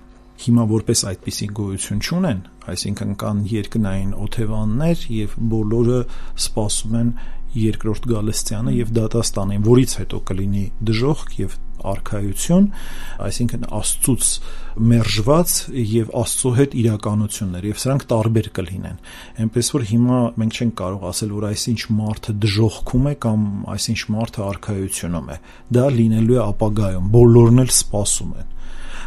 հիմա որպես այդպիսի գոյություն չունեն, այսինքն կան երկնային օթևաններ եւ բոլորը սպասում են երկրորդ գալստյանը եւ դատաստանին, որից հետո կլինի դժոխք եւ արքայություն, այսինքն Աստծուց մերժված եւ Աստծո հետ իրականություններ եւ սրանք տարբեր կլինեն։ Այնպես որ հիմա մենք չենք կարող ասել, որ այսինչ մարդը դժոխքում է կամ այսինչ մարդը արքայությունում է։ Դա լինելու է ապագայում, բոլորն էլ սպասում են։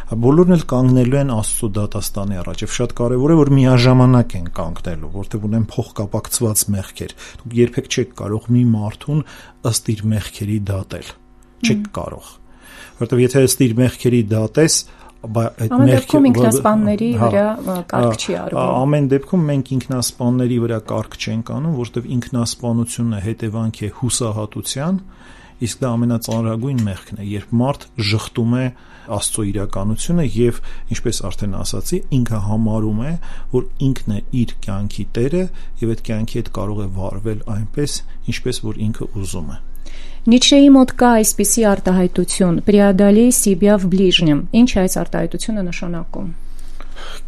Բոլորն էլ կանգնելու են Աստծո դատաստանի առաջ եւ շատ կարեւոր է, որ միաժամանակ են կանգնելու, որտեղ ունեն փոխկապակցված մեղքեր։ Դուք երբեք չեք կարող մի մարդուն ըստ իր մեղքերի դատել։ Չեք կարող։ Որտեղ եթե ըստ իր մեղքերի դատես, այդ մեղքերը ինքնասպանների վրա կարգ չի արվում։ Ամեն դեպքում մենք ինքնասպանների վրա կարգ չենք անում, որտեղ ինքնասպանությունը հետևանք է հուսահատության, իսկ դա ամենածանրագույն մեղքն է, երբ մարդ ժխտում է Աստծո իրականությունը եւ ինչպես արդեն ասացի, ինքը համարում է, որ ինքն է իր կյանքի տերը եւ այդ կյանքի հետ կարող է վարվել այնպես, ինչպես որ ինքը ուզում է։ Նիցշեի մոտ կա այսպիսի արտահայտություն՝ «Преодолей себя в ближнем»։ Ինչ է այս արտահայտությունը նշանակում։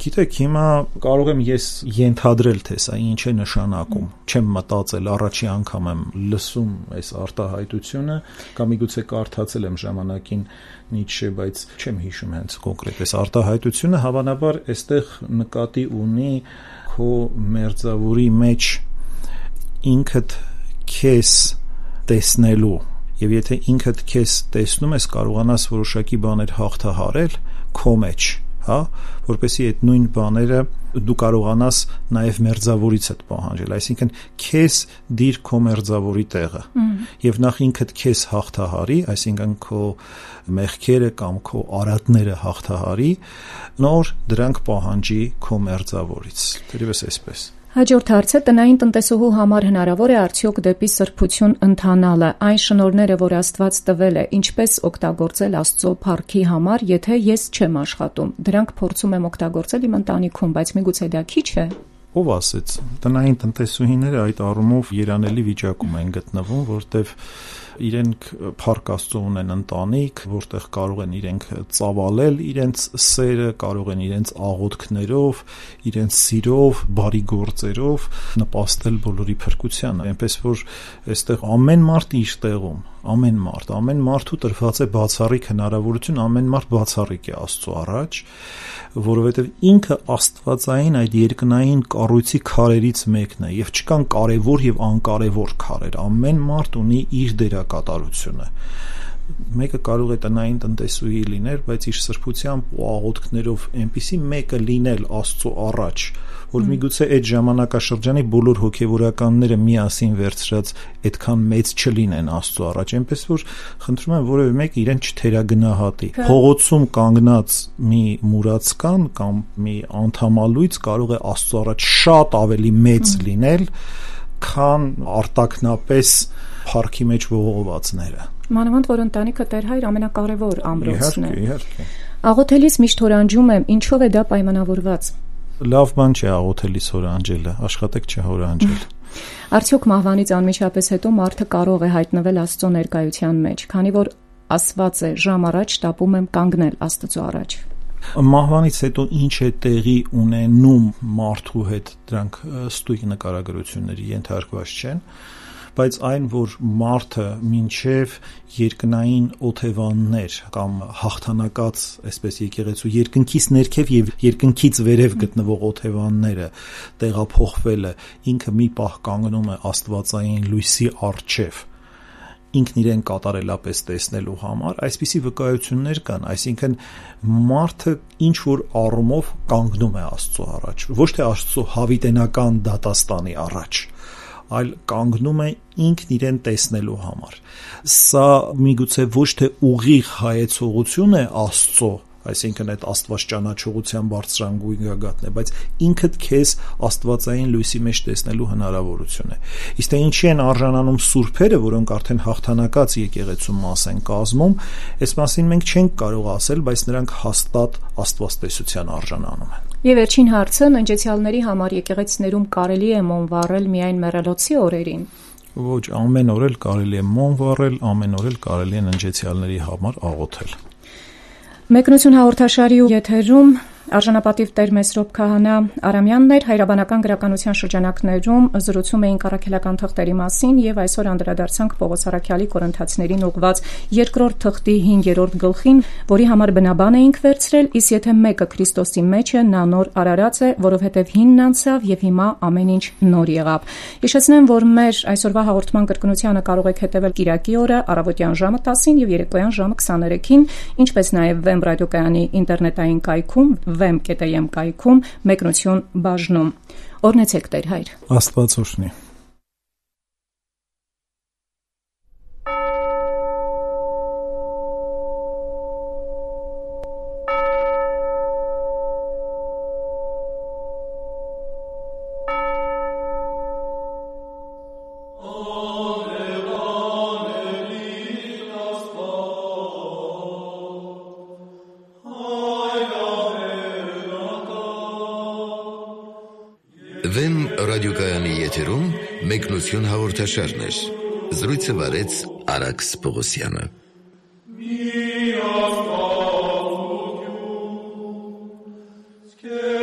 Գիտեք, հիմա կարող եմ ես ենթադրել, թե սա ինչ է նշանակում։ Չեմ մտածել, առաջի անգամ եմ լսում այս արտահայտությունը, կամ միգուցե կարդացել եմ ժամանակին Նիցշե, բայց չեմ հիշում հենց կոնկրետ այս արտահայտությունը, հավանաբար այստեղ նկատի ունի քո մերձավորի մեջ ինքդ քեզ տեսնելու, եւ եթե ինքդ քեզ տեսնում ես, կարողանաս որոշակի բաներ հաղթահարել քո մեջ, հա, որպեսզի այդ նույն բաները դու կարողանաս նաև մերձավորիցդ պահանջել, այսինքն քեզ դիր քո մերձավորի տեղը, եւ նախ ինքդ քեզ հաղթահարի, այսինքն քո մեղքերը կամ քո արատները հաղթահարի, նոր դրանք պահանջի քո մերձավորից, թերևս այսպես։ Հաջորդ հարցը՝ տնային տնտեսուհու համար հնարավոր է արդյոք դեպի սրբություն ընթանալը, այն շնորհները, որ Աստված տվել է, ինչպես օգտագործել Աստծո փառքի համար, եթե ես չեմ աշխատում։ Դրանք փորձում եմ օգտագործել իմ ընտանիքում, բայց միգուցե դա քիչ է։ Ով ասեց, տնային տնտեսուհիները այդ առումով երանելի վիճակում են գտնվում, որտեղ իրենք փառք Աստծո ունեն ընտանիք, որտեղ կարող են իրենք ծավալել իրենց սերը, կարող են իրենց աղոթքներով, իրենց սիրով, բարի գործերով նպաստել բոլորի փրկությանը, այնպես որ այստեղ ամեն մարդ իր տեղում, ամեն մարդ, ամեն մարդու տրված է բացառիկ հնարավորություն, ամեն մարդ բացառիկ է Աստծո առաջ, որովհետև ինքը աստվածային այդ երկնային կառույցի քարերից մեկն է եւ չկան կարևոր եւ անկարևոր քարեր, ամեն մարդ ունի իր դերակատարությունը։ Մեկը կարող է տնային տնտեսուհի լինել, բայց իր սրբությամբ ու աղոթքներով այնպիսի մեկը լինել Աստծո առաջ, որ միգուցե այդ ժամանակաշրջանի բոլոր հոգևորականները միասին վերցրած այդքան մեծ չլինեն Աստծո առաջ, այնպես որ խնդրում եմ որևէ մեկը իրեն չթերագնահատի։ Փողոցում կանգնած մի մուրացկան կամ մի անդամալույց կարող է Աստծո առաջ շատ ավելի մեծ լինել, քան արտակնապես փառքի մեջ ողողվածները։ Մանավանդ որ ընտանիքը Տեր-Հայր ամենակարևոր ամրոցն է։ Իհարկե, իհարկե։ Աղոթելիս միշտ հորանջում եմ, ինչով է դա պայմանավորված։ Լավ բան չէ աղոթելիս հորանջելը, աշխատեք չհորանջել։ Արդյոք մահվանից անմիջապես հետո մարդը կարող է հայտնվել Աստծո ներկայության մեջ, քանի որ ասված է՝ ժամ առաջ տապում եմ կանգնել Աստծո առաջ։ Մահվանից հետո ինչ է տեղի ունենում մարդու հետ, դրանք ստույգ նկարագրությունների ենթարկված չեն, բայց այն, որ մարդը մինչև երկնային օթևաններ կամ հաղթանակած, այսպես եկեղեցու երկնքից ներքև եւ երկնքից վերև գտնվող օթևանները տեղափոխվելը, ինքը մի պահ կանգնում է աստվածային լույսի առջև, ինքն իրեն կատարելապես տեսնելու համար, այսպիսի վկայություններ կան, այսինքն մարդը ինչ որ առումով կանգնում է Աստծո առաջ, ոչ թե Աստծո հավիտենական դատաստանի առաջ, այլ կանգնում է ինքն իրեն տեսնելու համար։ Սա միգուցե ոչ թե ուղիղ հայեցողություն է Աստծո, այսինքն այդ աստված ճանաչողության բարձրագույն գագաթն է, բայց ինքդ քեզ աստվածային լույսի մեջ տեսնելու հնարավորություն է։ Իսկ թե ինչի են արժանանում սուրբերը, որոնք արդեն հաղթանակած եկեղեցու մաս են կազմում, այս մասին մենք չենք կարող ասել, բայց նրանք հաստատ աստվածտեսության արժանանում են։ Եվ վերջին հարցը՝ ննջեցյալների համար եկեղեցիներում կարելի է մոմ վառել միայն մեռելոցի օրերին։ Ոչ, ամեն օր էլ կարելի է մոմ վառել, ամեն օր էլ կարելի է ննջեցյալների համար աղոթել։ Մեկնություն հաղորդաշարի եթերում Արժանապատիվ Տեր Մեսրոպ Քահանա Արամյանն էր, հայրաբանական գրականության շրջանակներում զրուցում էինք առաքելական թղթերի մասին եւ այսօր անդրադարձանք Պողոս Առաքյալի Կորինթացիներին ուղված երկրորդ թղթի հինգերորդ գլխին, որի համար բնաբան էինք վերցրել, իսկ եթե մեկը Քրիստոսի մեջ է, նա նոր արարած է, որովհետեւ հինն անցավ եւ հիմա ամեն ինչ նոր եղավ։ Հիշեցնեմ, որ մեր այսօրվա հաղորդման կրկնությանը կարող եք հետևել Կիրակի օրը առավոտյան ժամը տասին եւ երեկոյան ժամը քսաներեքին, ինչպես նաեւ Վեմ ռադիոկայանի ինտերնետային կայքում վեմ կետը եմ կայքում մեկնություն բաժնում։ Օրհնեցեք Տեր Հայր։ Աստված օրհնի։ Վեմ ռադիոկայանի եթերում մեկնություն հաղորդաշարն էր։ Զրույցը վարեց Արաքս Պողոսյանը։ Մի աստված ոգյուն,